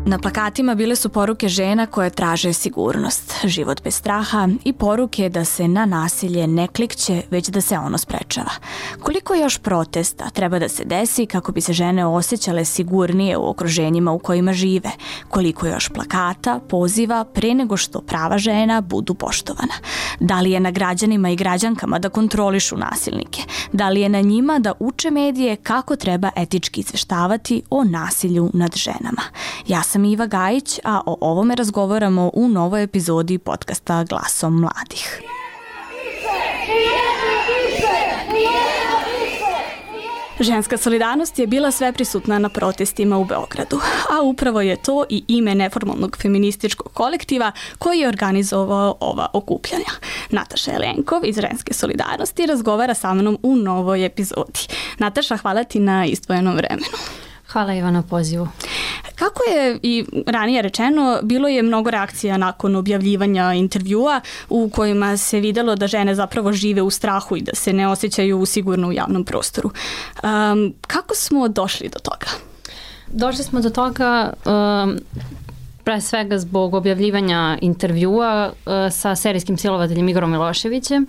Na plakatima bile su poruke žena koje traže sigurnost, život bez straha i poruke da se na nasilje ne klikće, već da se ono sprečava. Koliko još protesta treba da se desi kako bi se žene osjećale sigurnije u okruženjima u kojima žive? Koliko još plakata, poziva pre nego što prava žena budu poštovana? Da li je na građanima i građankama da kontrolišu nasilnike? Da li je na njima da uče medije kako treba etički izveštavati o nasilju nad ženama? Ja sam Iva Gajić, a o ovome razgovaramo u novoj epizodi podcasta Glasom mladih. Ženska solidarnost je bila sveprisutna na protestima u Beogradu, a upravo je to i ime neformalnog feminističkog kolektiva koji je organizovao ova okupljanja. Nataša Jelenkov iz Ženske solidarnosti razgovara sa mnom u novoj epizodi. Nataša, hvala ti na izdvojenom vremenu. Hvala Iva na pozivu. Kako je i ranije rečeno, bilo je mnogo reakcija nakon objavljivanja intervjua u kojima se videlo da žene zapravo žive u strahu i da se ne osjećaju sigurno u javnom prostoru. Um, kako smo došli do toga? Došli smo do toga um, pre svega zbog objavljivanja intervjua uh, sa serijskim silovateljem Igorom Miloševićem,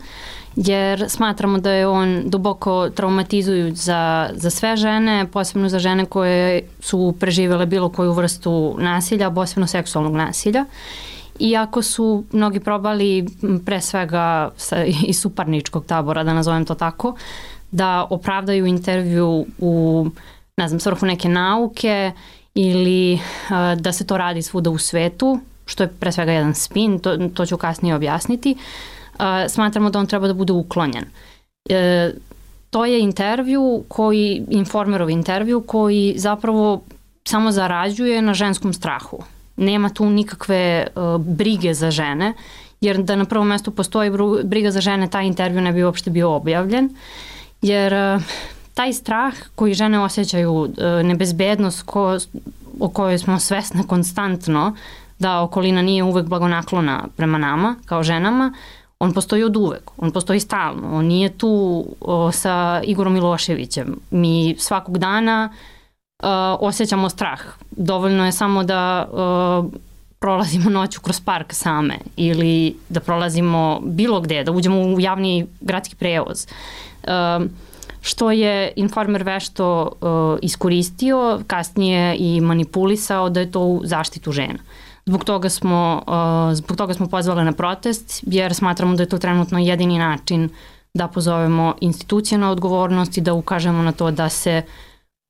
jer smatramo da je on duboko traumatizujuć za, za sve žene, posebno za žene koje su preživjele bilo koju vrstu nasilja, posebno seksualnog nasilja. Iako su mnogi probali, pre svega sa, iz suparničkog tabora, da nazovem to tako, da opravdaju intervju u, ne znam, svrhu neke nauke ili uh, da se to radi svuda u svetu, što je pre svega jedan spin, to, to ću kasnije objasniti. Uh, smatramo da on treba da bude uklonjen. E, to je intervju koji, Informerov intervju koji zapravo samo zarađuje na ženskom strahu. Nema tu nikakve uh, brige za žene, jer da na prvom mjestu postoji briga za žene, taj intervju ne bi uopšte bio objavljen, jer uh, taj strah koji žene osjećaju, uh, nebezbednost ko, o kojoj smo svesne konstantno, da okolina nije uvek blagonaklona prema nama kao ženama, on postoji od uvek, on postoji stalno, on nije tu o, sa Igorom Miloševićem. Mi svakog dana o, osjećamo strah. Dovoljno je samo da o, prolazimo noću kroz park same ili da prolazimo bilo gde, da uđemo u javni gradski prevoz. O, što je Informer vešto o, iskoristio, kasnije i manipulisao da je to u zaštitu žena. Zbog toga smo, uh, zbog toga smo pozvali na protest, jer smatramo da je to trenutno jedini način da pozovemo institucije na odgovornost i da ukažemo na to da se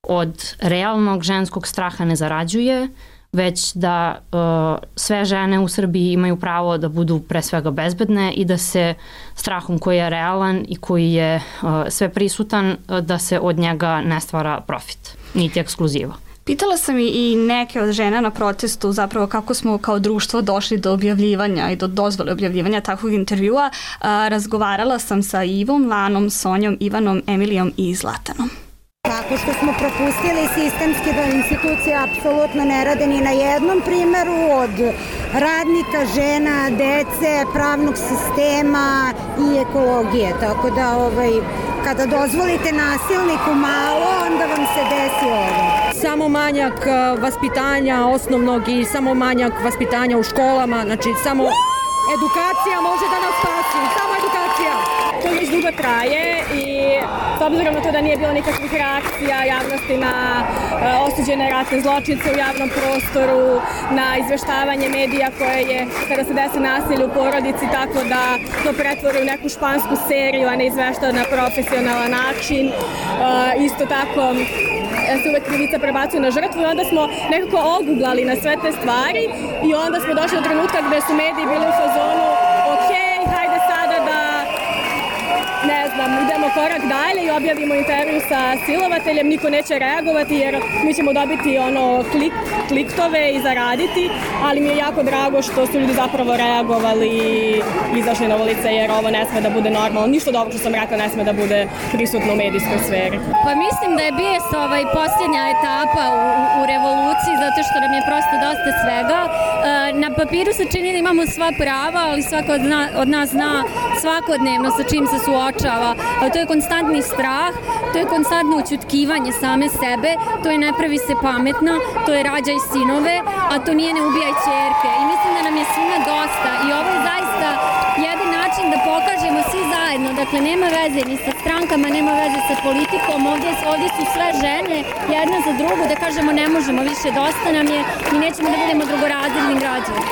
od realnog ženskog straha ne zarađuje, već da uh, sve žene u Srbiji imaju pravo da budu pre svega bezbedne i da se strahom koji je realan i koji je uh, sve prisutan, uh, da se od njega ne stvara profit, niti ekskluziva. Pitala sam i neke od žena na protestu zapravo kako smo kao društvo došli do objavljivanja i do dozvole objavljivanja takvog intervjua. Razgovarala sam sa Ivom, Lanom, Sonjom, Ivanom, Emilijom i Zlatanom. Tako što smo propustili sistemski da institucije apsolutno ne rade ni na jednom primeru od radnika, žena, dece, pravnog sistema i ekologije. Tako da ovaj, kada dozvolite nasilniku malo, onda vam se desi ovo. Samo manjak vaspitanja osnovnog i samo manjak vaspitanja u školama, znači samo edukacija može da nas spasi, samo edukacija. To već dugo traje i s obzirom na to da nije bilo nikakvih reakcija javnosti na uh, osuđene ratne zločince u javnom prostoru, na izveštavanje medija koje je, kada se desi nasilje u porodici, tako da to pretvori u neku špansku seriju, a ne izveštava na profesionalan način. Uh, isto tako se uvek krivica prebacuje na žrtvu i onda smo nekako oguglali na sve te stvari i onda smo došli do trenutka gde su mediji bili u fazonu ok, hajde sada da ne znam, idemo korak dalje i objavimo intervju sa silovateljem, niko neće reagovati jer mi ćemo dobiti ono klik, kliktove i zaraditi, ali mi je jako drago što su ljudi zapravo reagovali i izašli na ulice jer ovo ne sme da bude normalno. Ništa dobro što sam rekla ne sme da bude prisutno u medijskoj sferi. Pa mislim da je bijes ovaj posljednja etapa u, u revoluciji zato što nam je prosto dosta svega. E, na papiru se čini da imamo sva prava, ali svako od, zna, od nas zna svakodnevno sa čim se suočava. A to je konstantni strah, to je konstantno ućutkivanje same sebe, to je ne pravi se pametna, to je rađaj sinove, a to nije ne ubijaj ćerke. I mislim da nam je svima dosta i ovo je zaista jedan način da pokažemo svi zajedno, dakle nema veze ni sa strankama, nema veze sa politikom, ovdje, ovdje su sve žene jedna za drugu da kažemo ne možemo više, dosta nam je i nećemo da budemo drugorazredni građani.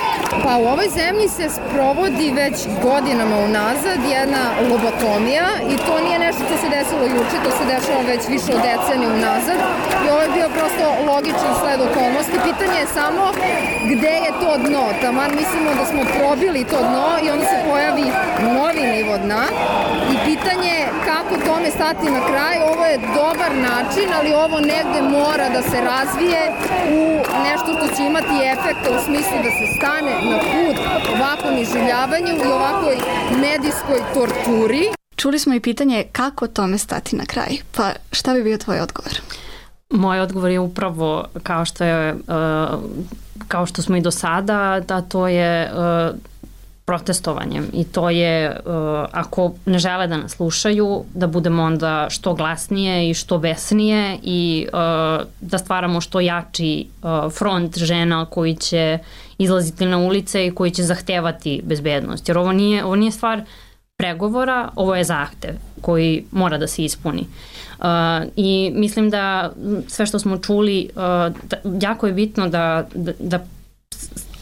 Pa u ovoj zemlji se sprovodi već godinama unazad jedna lobotomija i to nije nešto što se desilo juče, to se dešava već više od decenije unazad i ovo je bio prosto logičan sled okolnosti. Pitanje je samo gde je to dno, taman mislimo da smo probili to dno i onda se pojavi novi nivo dna i pitanje je kako tome stati na kraj. Ovo je dobar način, ali ovo negde mora da se razvije u nešto što će imati efekta u smislu da se stane na put ovakvom iživljavanju i ovakvoj medijskoj torturi. Čuli smo i pitanje kako tome stati na kraj, pa šta bi bio tvoj odgovor? Moj odgovor je upravo kao što je, kao što smo i do sada, da to je protestovanjem i to je ako ne žele da nas slušaju, da budemo onda što glasnije i što besnije i da stvaramo što jači front žena koji će izlaziti na ulice i koji će zahtevati bezbednost. Jer ovo nije, ovo nije stvar pregovora, ovo je zahtev koji mora da se ispuni. Uh, I mislim da sve što smo čuli, uh, da, jako je bitno da, da, da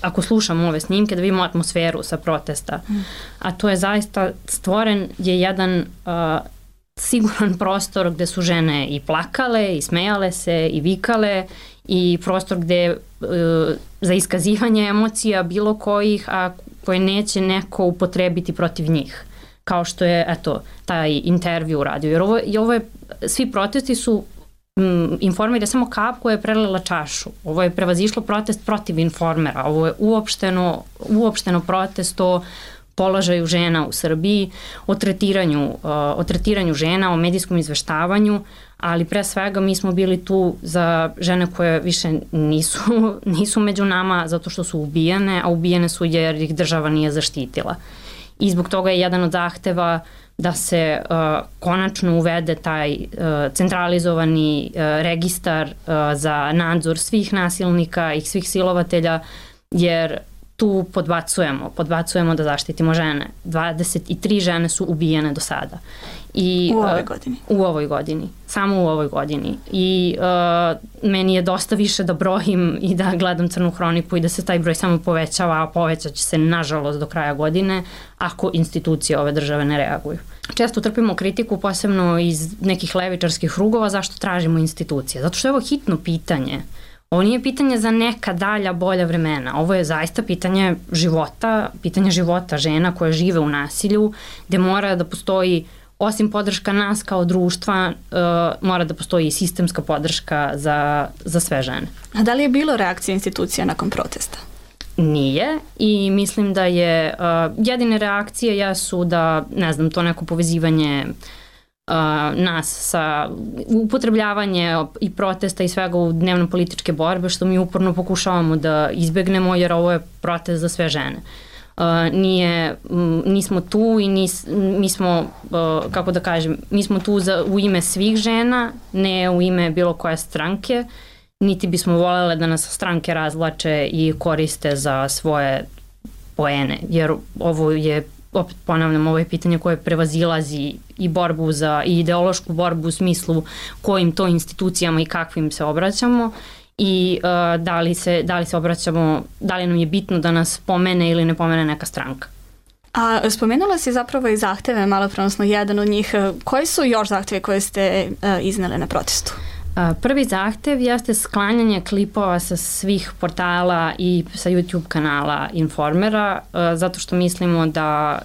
ako slušamo ove snimke, da vidimo atmosferu sa protesta. Mm. A to je zaista stvoren je jedan uh, siguran prostor gde su žene i plakale, i smejale se, i vikale, i prostor gde uh, za iskazivanje emocija bilo kojih, a koje neće neko upotrebiti protiv njih. Kao što je, eto, taj intervju uradio. Jer ovo, i ovo je, svi protesti su mm, Informer je samo kap koja je prelila čašu. Ovo je prevazišlo protest protiv Informera. Ovo je uopšteno, uopšteno protest o položaju žena u Srbiji, o tretiranju, uh, o tretiranju žena, o medijskom izveštavanju, ali pre svega mi smo bili tu za žene koje više nisu, nisu među nama zato što su ubijene, a ubijene su jer ih država nije zaštitila. I zbog toga je jedan od zahteva da se uh, konačno uvede taj uh, centralizovani uh, registar uh, za nadzor svih nasilnika i svih silovatelja, jer tu podbacujemo, podbacujemo da zaštitimo žene. dvadeset tri žene su ubijene do sada. I, u ovoj godini. Uh, u ovoj godini. Samo u ovoj godini. I uh, meni je dosta više da brojim i da gledam Crnu hroniku i da se taj broj samo povećava, a povećat će se nažalost do kraja godine ako institucije ove države ne reaguju. Često trpimo kritiku, posebno iz nekih levičarskih krugova, zašto tražimo institucije. Zato što je ovo hitno pitanje. Ovo nije pitanje za neka dalja, bolja vremena. Ovo je zaista pitanje života, pitanje života žena koje žive u nasilju, gde mora da postoji osim podrška nas kao društva, uh, mora da postoji i sistemska podrška za, za sve žene. A da li je bilo reakcije institucija nakon protesta? Nije i mislim da je uh, jedine reakcije jesu da, ne znam, to neko povezivanje uh, nas sa upotrebljavanje i protesta i svega u dnevno političke borbe, što mi uporno pokušavamo da izbegnemo, jer ovo je protest za sve žene. Uh, nije, m, nismo tu i nis, mi smo, uh, kako da kažem, mi smo tu za, u ime svih žena, ne u ime bilo koje stranke, niti bismo voljele da nas stranke razvlače i koriste za svoje poene, jer ovo je, opet ponavljam, ovo je pitanje koje prevazilazi i borbu za, i ideološku borbu u smislu kojim to institucijama i kakvim se obraćamo i uh, da li se, da li se obraćamo, da li nam je bitno da nas pomene ili ne pomene neka stranka. A spomenula si zapravo i zahteve, malo prenosno jedan od njih. Koji su još zahteve koje ste uh, iznele na protestu? Prvi zahtev jeste sklanjanje klipova sa svih portala i sa YouTube kanala Informera, zato što mislimo da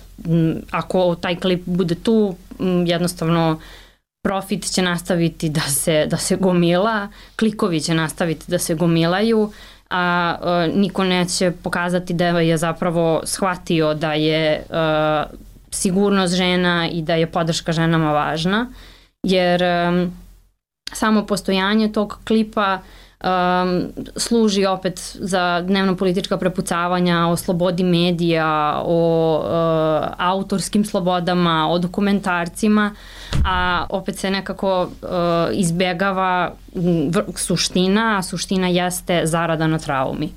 ako taj klip bude tu, jednostavno profit će nastaviti da se, da se gomila, klikovi će nastaviti da se gomilaju, a niko neće pokazati da je zapravo shvatio da je sigurnost žena i da je podrška ženama važna, jer samo postojanje tog klipa um, služi opet za dnevno politička prepucavanja o slobodi medija, o uh, autorskim slobodama, o dokumentarcima, a opet se nekako uh, izbjegava suština, a suština jeste zarada na traumi.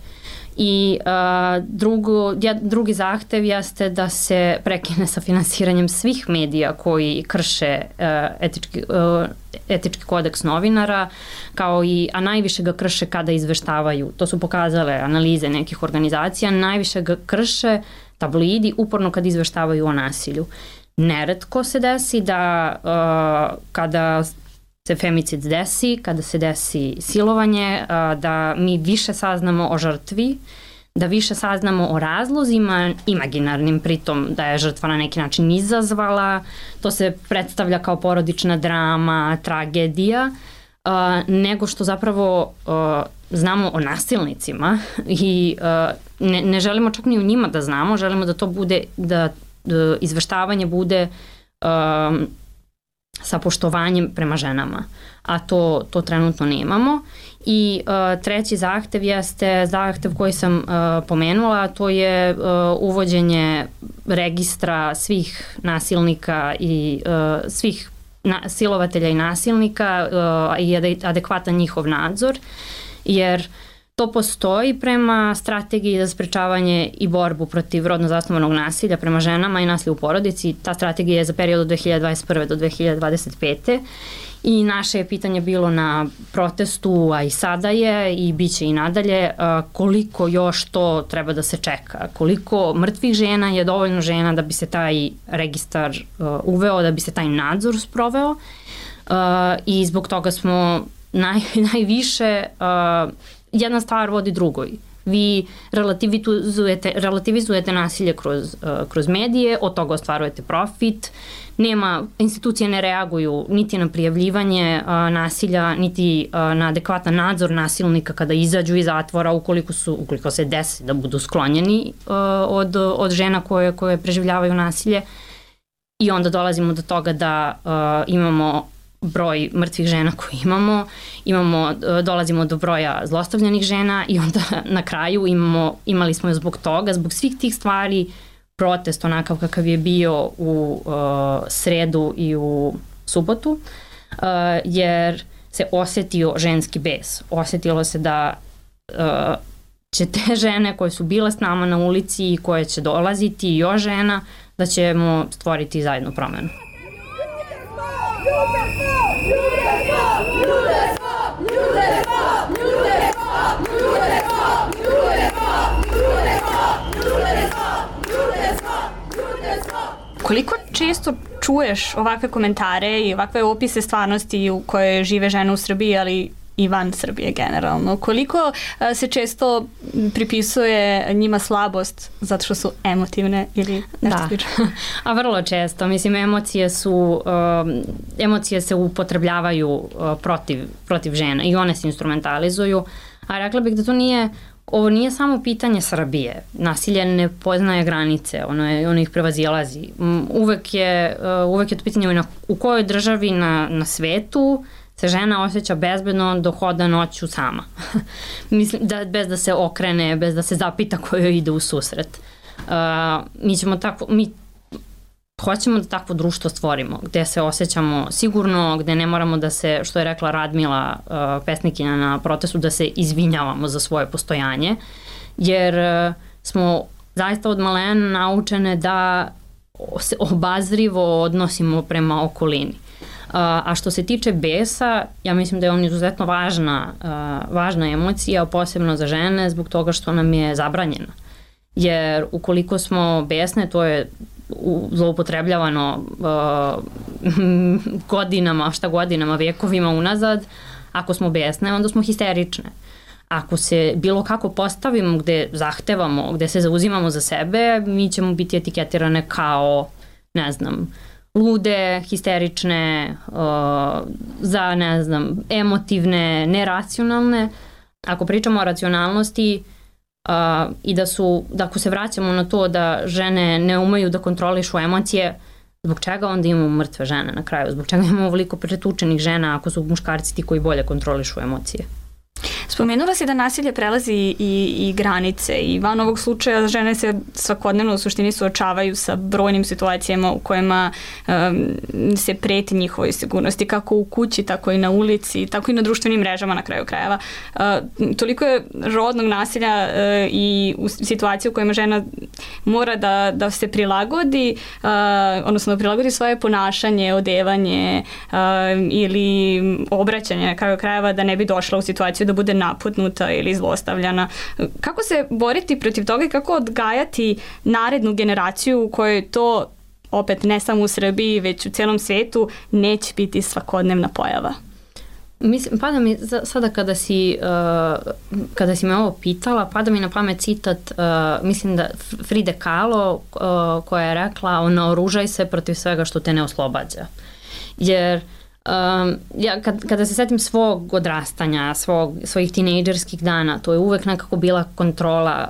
I uh, drugo, drugi zahtev jeste da se prekine sa finansiranjem svih medija koji krše uh, etički, uh, etički kodeks novinara, kao i, a najviše ga krše kada izveštavaju. To su pokazale analize nekih organizacija, najviše ga krše tabloidi uporno kad izveštavaju o nasilju. Neretko se desi da uh, kada se femicid desi, kada se desi silovanje, da mi više saznamo o žrtvi, da više saznamo o razlozima imaginarnim, pritom da je žrtva na neki način izazvala, to se predstavlja kao porodična drama, tragedija, nego što zapravo znamo o nasilnicima i ne, ne želimo čak ni o njima da znamo, želimo da to bude, da izveštavanje bude sa poštovanjem prema ženama, a to, to trenutno nemamo. I uh, treći zahtev jeste zahtev koji sam uh, pomenula, to je uh, uvođenje registra svih nasilnika i uh, svih na, silovatelja i nasilnika uh, i adekvatan njihov nadzor, jer to postoji prema strategiji za sprečavanje i borbu protiv rodno zasnovanog nasilja prema ženama i nasilja u porodici. Ta strategija je za period od dve hiljade dvadeset prve do dve hiljade dvadeset pete. I naše je pitanje bilo na protestu, a i sada je i bit će i nadalje, koliko još to treba da se čeka, koliko mrtvih žena je dovoljno žena da bi se taj registar uveo, da bi se taj nadzor sproveo i zbog toga smo naj, najviše, jedna stvar vodi drugoj. Vi relativizujete, relativizujete nasilje kroz, kroz medije, od toga ostvarujete profit, nema, institucije ne reaguju niti na prijavljivanje a, nasilja, niti a, na adekvatan nadzor nasilnika kada izađu iz zatvora, ukoliko, su, ukoliko se desi da budu sklonjeni a, od, od žena koje, koje preživljavaju nasilje. I onda dolazimo do toga da a, imamo broj mrtvih žena koji imamo, imamo, dolazimo do broja zlostavljanih žena i onda na kraju imamo, imali smo zbog toga, zbog svih tih stvari, protest onakav kakav je bio u uh, sredu i u subotu, uh, jer se osetio ženski bes. Osetilo se da uh, će te žene koje su bile s nama na ulici i koje će dolaziti i još žena, da ćemo stvoriti zajedno promenu. Koliko često čuješ ovakve komentare i ovakve opise stvarnosti u kojoj žive žene u Srbiji, ali i van Srbije generalno. Koliko se često pripisuje njima slabost zato što su emotivne ili nešto slično? A vrlo često. Mislim, emocije su, um, emocije se upotrebljavaju uh, protiv, protiv žena i one se instrumentalizuju. A rekla bih da to nije, ovo nije samo pitanje Srbije. Nasilje ne poznaje granice, ono, je, ono ih prevazilazi. Uvek je, uh, uvek je to pitanje na, u kojoj državi na, na svetu se žena osjeća bezbedno dok hoda noću sama. Mislim, da, bez da se okrene, bez da se zapita kojoj ide u susret. Uh, mi ćemo tako, mi hoćemo da takvo društvo stvorimo, gde se osjećamo sigurno, gde ne moramo da se, što je rekla Radmila, uh, pesnikinja na protestu, da se izvinjavamo za svoje postojanje, jer uh, smo zaista od malena naučene da se obazrivo odnosimo prema okolini. Uh, a što se tiče besa, ja mislim da je on izuzetno važna, uh, važna emocija, posebno za žene, zbog toga što nam je zabranjena. Jer ukoliko smo besne, to je zloupotrebljavano uh, godinama, šta godinama, vekovima unazad. Ako smo besne, onda smo histerične. Ako se bilo kako postavimo gde zahtevamo, gde se zauzimamo za sebe, mi ćemo biti etiketirane kao, ne znam, lude, histerične, uh, za, ne znam, emotivne, neracionalne. Ako pričamo o racionalnosti, Uh, i da su, da ako se vraćamo na to da žene ne umeju da kontrolišu emocije, zbog čega onda imamo mrtve žene na kraju? Zbog čega imamo ovoliko pretučenih žena ako su muškarci ti koji bolje kontrolišu emocije? Spomenula si da nasilje prelazi i, i granice i van ovog slučaja žene se svakodnevno u suštini suočavaju sa brojnim situacijama u kojima um, se preti njihovoj sigurnosti, kako u kući, tako i na ulici, tako i na društvenim mrežama na kraju krajeva. Uh, toliko je rodnog nasilja uh, i u situaciji u kojima žena mora da, da se prilagodi, uh, odnosno da prilagodi svoje ponašanje, odevanje uh, ili obraćanje na kraju krajeva da ne bi došla u situaciju da bude naputnuta ili zlostavljana. Kako se boriti protiv toga i kako odgajati narednu generaciju u kojoj to, opet ne samo u Srbiji, već u celom svetu, neće biti svakodnevna pojava? Mislim, pada mi sada kada si, uh, kada si me ovo pitala, pada mi na pamet citat, uh, mislim da Fride Kahlo, uh, koja je rekla, naoružaj se protiv svega što te ne oslobađa. Jer Um, ja kad, kada se setim svog odrastanja, svog, svojih tinejdžerskih dana, to je uvek nekako bila kontrola.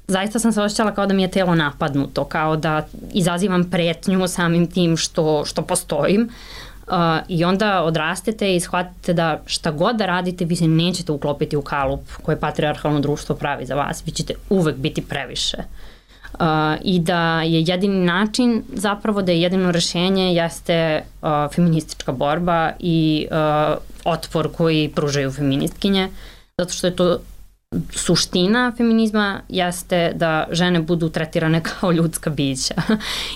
Zaista sam se osjećala kao da mi je telo napadnuto, kao da izazivam pretnju samim tim što, što postojim. Uh, I onda odrastete i shvatite da šta god da radite, vi se nećete uklopiti u kalup koje patrijarhalno društvo pravi za vas. Vi ćete uvek biti previše. Uh, i da je jedini način, zapravo da je jedino rešenje jeste uh, feministička borba i uh, otpor koji pružaju feministkinje, zato što je to suština feminizma, jeste da žene budu tretirane kao ljudska bića.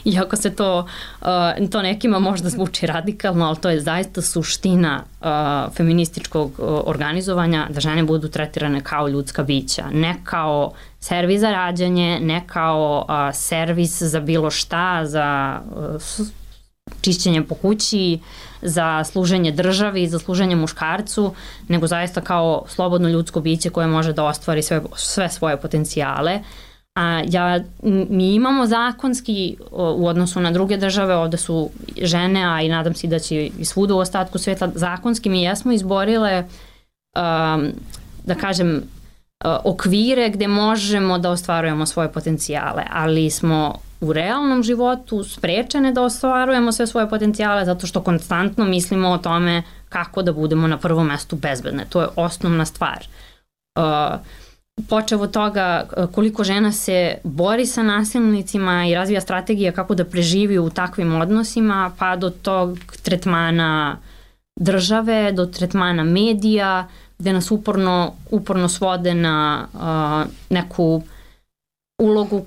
Iako se to, uh, to nekima možda zvuči radikalno, ali to je zaista suština uh, feminističkog uh, organizovanja, da žene budu tretirane kao ljudska bića, ne kao servis za rađanje, ne kao uh, servis za bilo šta, za uh, čišćenje po kući, za služenje državi, za služenje muškarcu, nego zaista kao slobodno ljudsko biće koje može da ostvari sve, sve svoje potencijale. A ja, mi imamo zakonski u odnosu na druge države, ovde su žene, a i nadam se da će i svuda u ostatku sveta, zakonski mi jesmo izborile, um, da kažem, okvire gde možemo da ostvarujemo svoje potencijale, ali smo u realnom životu sprečene da ostvarujemo sve svoje potencijale zato što konstantno mislimo o tome kako da budemo na prvom mestu bezbedne. To je osnovna stvar. Uh, počev od toga koliko žena se bori sa nasilnicima i razvija strategija kako da preživi u takvim odnosima, pa do tog tretmana države, do tretmana medija, gde nas uporno, uporno svode na uh, neku ulogu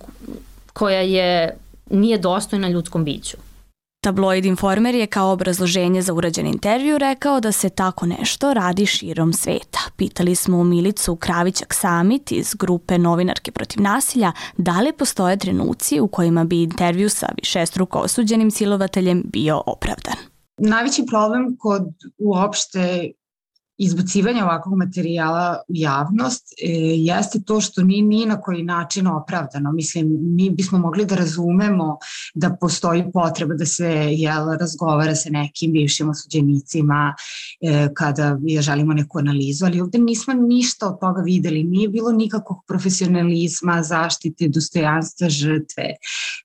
koja je, nije dostojna ljudskom biću. Tabloid Informer je kao obrazloženje za urađen intervju rekao da se tako nešto radi širom sveta. Pitali smo Milicu Kravićak-Samit iz grupe Novinarke protiv nasilja da li postoje trenuci u kojima bi intervju sa višestruko osuđenim silovateljem bio opravdan. Najveći problem kod uopšte izbacivanja ovakvog materijala u javnost e, jeste to što ni, ni na koji način opravdano. Mislim, mi bismo mogli da razumemo da postoji potreba da se jel, razgovara sa nekim bivšim osuđenicima e, kada je, želimo neku analizu, ali ovde nismo ništa od toga videli. Nije bilo nikakvog profesionalizma, zaštite, dostojanstva žrtve.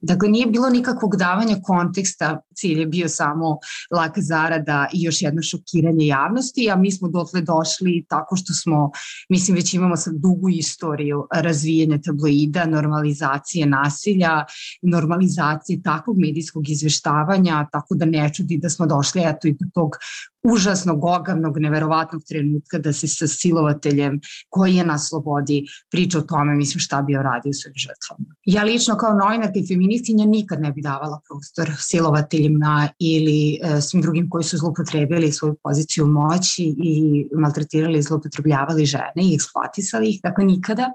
Dakle, nije bilo nikakvog davanja konteksta, cilj je bio samo laka zarada i još jedno šokiranje javnosti, a mi smo dotle došli tako što smo, mislim, već imamo sad dugu istoriju razvijanja tabloida, normalizacije nasilja, normalizacije takvog medijskog izveštavanja, tako da ne čudi da smo došli eto i do tog užasnog, ogavnog, neverovatnog trenutka da se sa silovateljem koji je na slobodi priča o tome, mislim, šta bi radio svojim žrtvama. Ja lično kao novinarka i feministkinja nikad ne bi davala prostor silovateljima ili e, svim drugim koji su zloupotrebili svoju poziciju moći i maltretirali i zloupotrebljavali žene i eksploatisali ih, dakle nikada.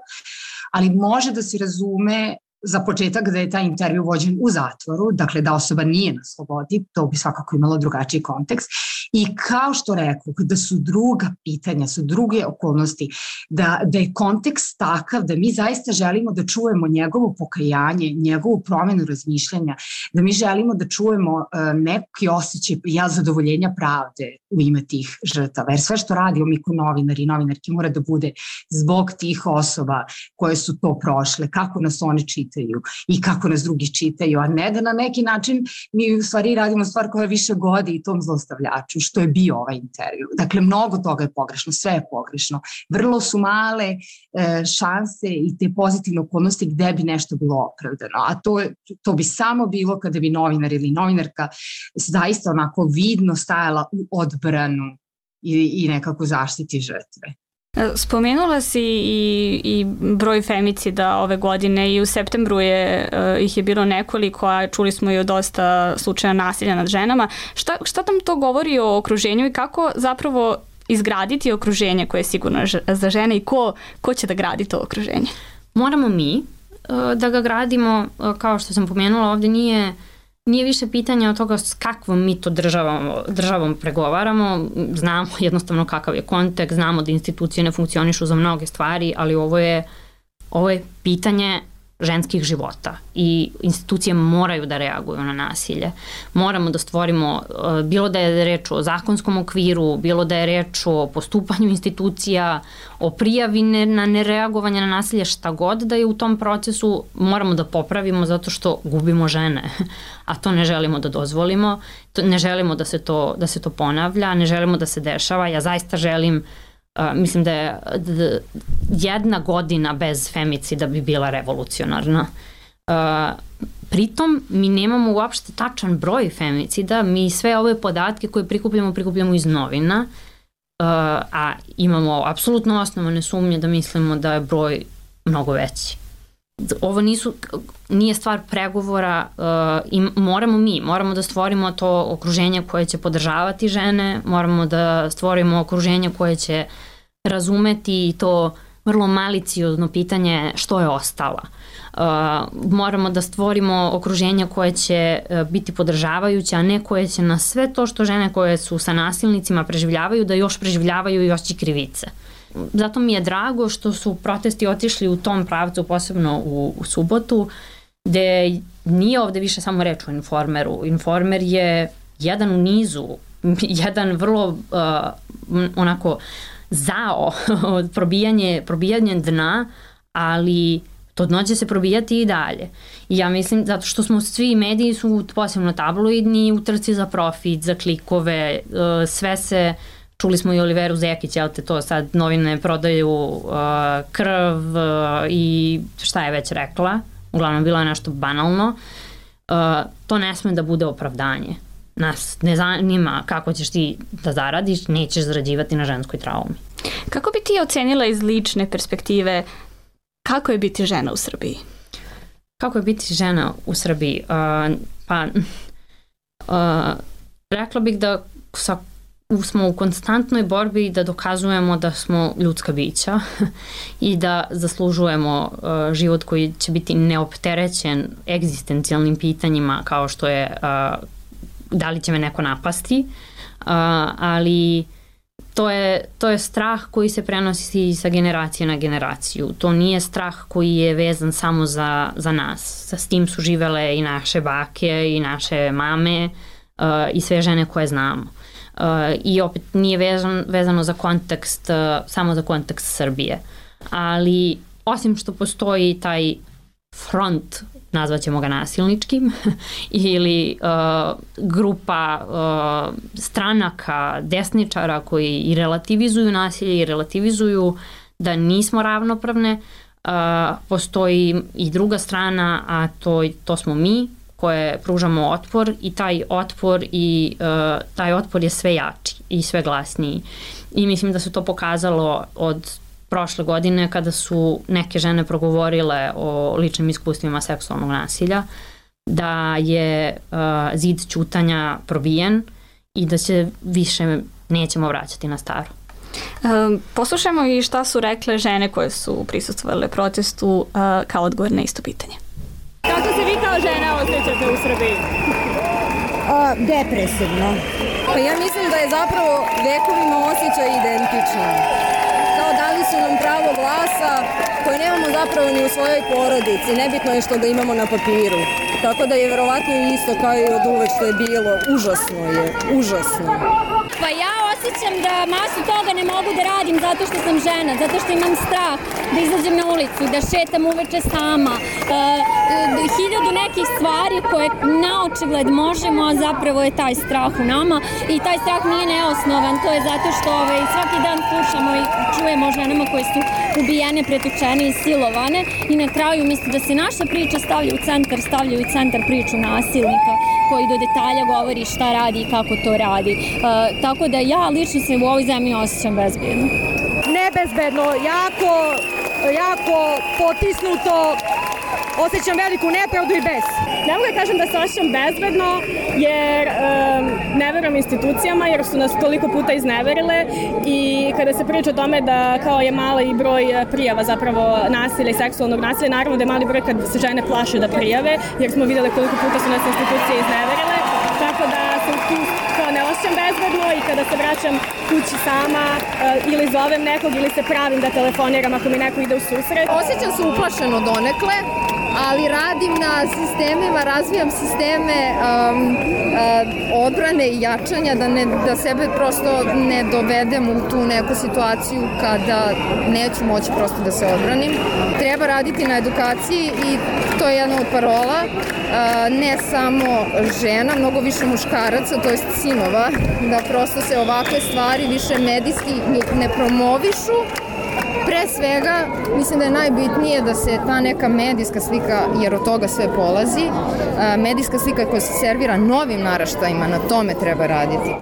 Ali može da se razume za početak da je taj intervju vođen u zatvoru, dakle da osoba nije na slobodi, to bi svakako imalo drugačiji kontekst. I kao što rekao, da su druga pitanja, su druge okolnosti, da, da je kontekst takav da mi zaista želimo da čujemo njegovo pokajanje, njegovu promenu razmišljanja, da mi želimo da čujemo uh, neki osjećaj ja zadovoljenja pravde u ime tih žrtava. Jer sve što radimo mi kao novinari i novinarki mora da bude zbog tih osoba koje su to prošle, kako nas one čitaju i kako nas drugi čitaju, a ne da na neki način mi u stvari radimo stvar koja više godi i tom zlostavljaču, što je bio ovaj intervju. Dakle, mnogo toga je pogrešno, sve je pogrešno. Vrlo su male e, šanse i te pozitivne okolnosti gde bi nešto bilo opravdano, a to, to bi samo bilo kada bi novinar ili novinarka zaista onako vidno stajala u odbranu i, i nekako zaštiti žrtve. Spomenula si i, i broj femicida ove godine i u septembru je, uh, ih je bilo nekoliko, a čuli smo i o dosta slučaja nasilja nad ženama. Šta, šta nam to govori o okruženju i kako zapravo izgraditi okruženje koje je sigurno za žene i ko, ko će da gradi to okruženje? Moramo mi uh, da ga gradimo, uh, kao što sam pomenula, ovde nije Nije više pitanje od toga s kakvom mi to državom, državom pregovaramo, znamo jednostavno kakav je kontekst, znamo da institucije ne funkcionišu za mnoge stvari, ali ovo je, ovo je pitanje ženskih života i institucije moraju da reaguju na nasilje. Moramo da stvorimo, bilo da je reč o zakonskom okviru, bilo da je reč o postupanju institucija, o prijavi na nereagovanje na nasilje, šta god da je u tom procesu, moramo da popravimo zato što gubimo žene, a to ne želimo da dozvolimo, ne želimo da se to, da se to ponavlja, ne želimo da se dešava. Ja zaista želim Uh, mislim da je d- jedna godina bez femicida bi bila revolucionarna. Uh, pritom mi nemamo uopšte tačan broj femicida, mi sve ove podatke koje prikupljamo, prikupljamo iz novina, uh, a imamo apsolutno osnovane sumnje da mislimo da je broj mnogo veći. Ovo nisu, nije stvar pregovora uh, i moramo mi, moramo da stvorimo to okruženje koje će podržavati žene, moramo da stvorimo okruženje koje će razumeti i to vrlo maliciozno pitanje što je ostala. Uh, moramo da stvorimo okruženje koje će uh, biti podržavajuće, a ne koje će na sve to što žene koje su sa nasilnicima preživljavaju, da još preživljavaju i osjećaj krivice. Zato mi je drago što su protesti otišli u tom pravcu, posebno u, u subotu, gde nije ovde više samo reč o Informeru. Informer je jedan u nizu, jedan vrlo uh, onako zao probijanje, probijanje dna, ali to dno će se probijati i dalje. I ja mislim, zato što smo svi mediji su posebno tabloidni, u trci za profit, za klikove, uh, sve se... Čuli smo i Oliveru Zekić, jel te to sad novine prodaju uh, krv uh, i šta je već rekla, uglavnom bilo je nešto banalno. Uh, to ne sme da bude opravdanje. Nas ne zanima kako ćeš ti da zaradiš, nećeš zarađivati na ženskoj traumi. Kako bi ti ocenila iz lične perspektive kako je biti žena u Srbiji? Kako je biti žena u Srbiji? Uh, pa uh, rekla bih da sa smo u konstantnoj borbi da dokazujemo da smo ljudska bića i da zaslužujemo uh, život koji će biti neopterećen egzistencijalnim pitanjima kao što je uh, da li će me neko napasti, uh, ali to je, to je strah koji se prenosi sa generacije na generaciju. To nije strah koji je vezan samo za, za nas. Sa s tim su živele i naše bake i naše mame uh, i sve žene koje znamo. Uh, I opet nije vezan, vezano za kontekst, uh, samo za kontekst Srbije. Ali osim što postoji taj front, nazvaćemo ga nasilničkim, ili uh, grupa uh, stranaka, desničara koji i relativizuju nasilje i relativizuju da nismo ravnopravne, uh, postoji i druga strana, a to, to smo mi koje pružamo otpor i taj otpor i uh, taj otpor je sve jači i sve glasniji. I mislim da se to pokazalo od prošle godine kada su neke žene progovorile o ličnim iskustvima seksualnog nasilja, da je uh, zid ćutanja probijen i da se više nećemo vraćati na staro. Um, poslušajmo i šta su rekle žene koje su prisustvovale protestu uh, kao odgovor na isto pitanje. Kako se vi kao žena osjećate u Srbiji? A, depresivno. Pa ja mislim da je zapravo vekovima osjećaj identičan. Kao dali su nam pravo glasa koje nemamo zapravo ni u svojoj porodici. Nebitno je što ga imamo na papiru. Tako da je verovatno isto kao i od uvek što je bilo. Užasno je, užasno. Pa ja osjećam da masu toga ne mogu da radim zato što sam žena, zato što imam strah da izađem na ulicu, da šetam uveče sama. E, hiljadu nekih stvari koje na očigled možemo, a zapravo je taj strah u nama i taj strah nije neosnovan. To je zato što ovaj, svaki dan slušamo i čujemo o ženama koje su ubijene, pretučene i silovane i na kraju misli da se naša priča stavlja u centar, stavljaju u centar priču nasilnika koji do detalja govori šta radi i kako to radi. E, tako da ja lično se u ovoj zemlji osjećam bezbedno. Nebezbedno, jako, jako potisnuto, osjećam veliku nepravdu i bes. Ne mogu da kažem da se osjećam bezbedno jer um, ne verujem institucijama jer su nas toliko puta izneverile i kada se priča o tome da kao je mali broj prijava zapravo nasilja i seksualnog nasilja, naravno da je mali broj kad se žene plaše da prijave jer smo vidjeli koliko puta su nas institucije izneverile, tako da sam tu kao ne osjećam bezbedno i kada se vraćam kući sama uh, ili zovem nekog ili se pravim da telefoniram ako mi neko ide u susret. Osjećam se uplašeno donekle, ali radim na sistemima, razvijam sisteme um, uh, odbrane i jačanja da, ne, da sebe prosto ne dovedem u tu neku situaciju kada neću moći prosto da se odbranim. Treba raditi na edukaciji i to je jedna od parola, uh, ne samo žena, mnogo više muškaraca, to jest sinova, da prosto se ovakve stvari više medijski ne promovišu. Pre svega, mislim da je najbitnije da se ta neka medijska slika, jer od toga sve polazi, medijska slika koja se servira novim naraštajima, na tome treba raditi.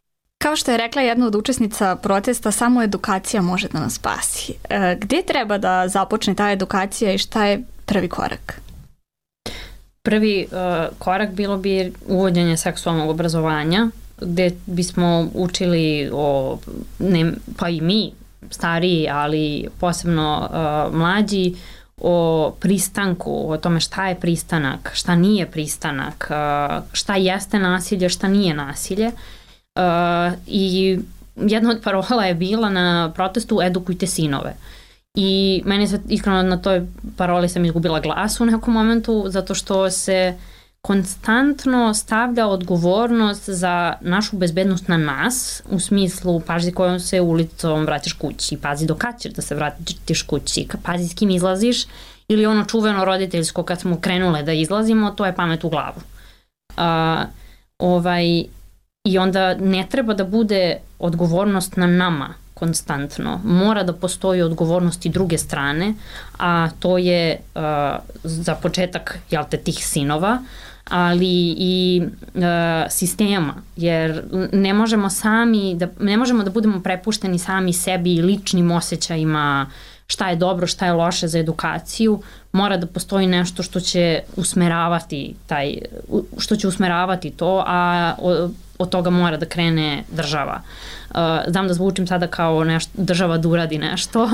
Kao što je rekla jedna od učesnica protesta, samo edukacija može da nas spasi. Gdje treba da započne ta edukacija i šta je prvi korak? Prvi uh, korak bilo bi uvođenje seksualnog obrazovanja, gdje bismo učili o, ne, pa i mi, stariji, ali posebno uh, mlađi, o pristanku, o tome šta je pristanak, šta nije pristanak, uh, šta jeste nasilje, šta nije nasilje. Uh, I jedna od parola je bila na protestu edukujte sinove. I meni se iskreno na toj paroli sam izgubila glas u nekom momentu, zato što se konstantno stavlja odgovornost za našu bezbednost na nas, u smislu pazi kojom se ulicom vraćaš kući, pazi do kad ćeš da se vratiš kući, pazi s kim izlaziš, ili ono čuveno roditeljsko kad smo krenule da izlazimo, to je pamet u glavu. Uh, ovaj, I onda ne treba da bude odgovornost na nama konstantno. Mora da postoji odgovornost i druge strane, a to je uh, za početak, jel te, tih sinova, ali i uh, sistema, jer ne možemo sami, da, ne možemo da budemo prepušteni sami sebi i ličnim osjećajima šta je dobro, šta je loše za edukaciju. Mora da postoji nešto što će usmeravati taj, što će usmeravati to, a od toga mora da krene država. Uh, znam da zvučim sada kao nešto, država da uradi nešto,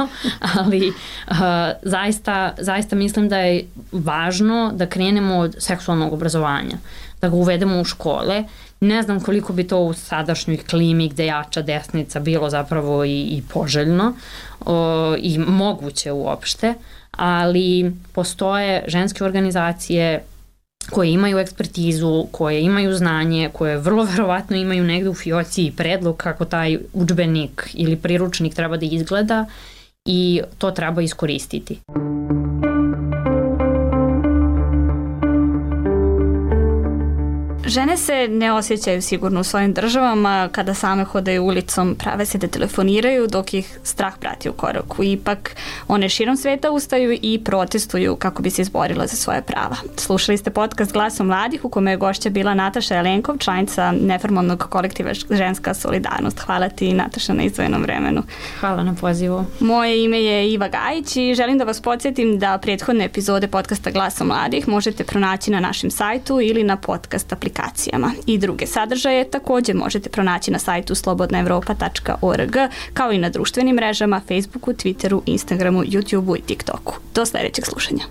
ali uh, zaista, zaista mislim da je važno da krenemo od seksualnog obrazovanja, da ga uvedemo u škole. Ne znam koliko bi to u sadašnjoj klimi gde jača desnica bilo zapravo i, i poželjno uh, i moguće uopšte, ali postoje ženske organizacije koje imaju ekspertizu, koje imaju znanje, koje vrlo verovatno imaju negde u fioci i predlog kako taj udžbenik ili priručnik treba da izgleda i to treba iskoristiti. Žene se ne osjećaju sigurno u svojim državama, kada same hodaju ulicom, prave se da telefoniraju dok ih strah prati u koraku. Ipak one širom sveta ustaju i protestuju kako bi se izborila za svoje prava. Slušali ste podcast Glasom mladih u kome je gošća bila Nataša Jelenkov, članica neformalnog kolektiva Ženska solidarnost. Hvala ti, Nataša, na izdvojenom vremenu. Hvala na pozivu. Moje ime je Iva Gajić i želim da vas podsjetim da prethodne epizode podcasta Glasom mladih možete pronaći na našem sajtu ili na podcast aplikacijama. I druge sadržaje također možete pronaći na sajtu slobodna evropa tačka org, kao i na društvenim mrežama Facebooku, Twitteru, Instagramu, YouTubeu i TikToku. Do sljedećeg slušanja.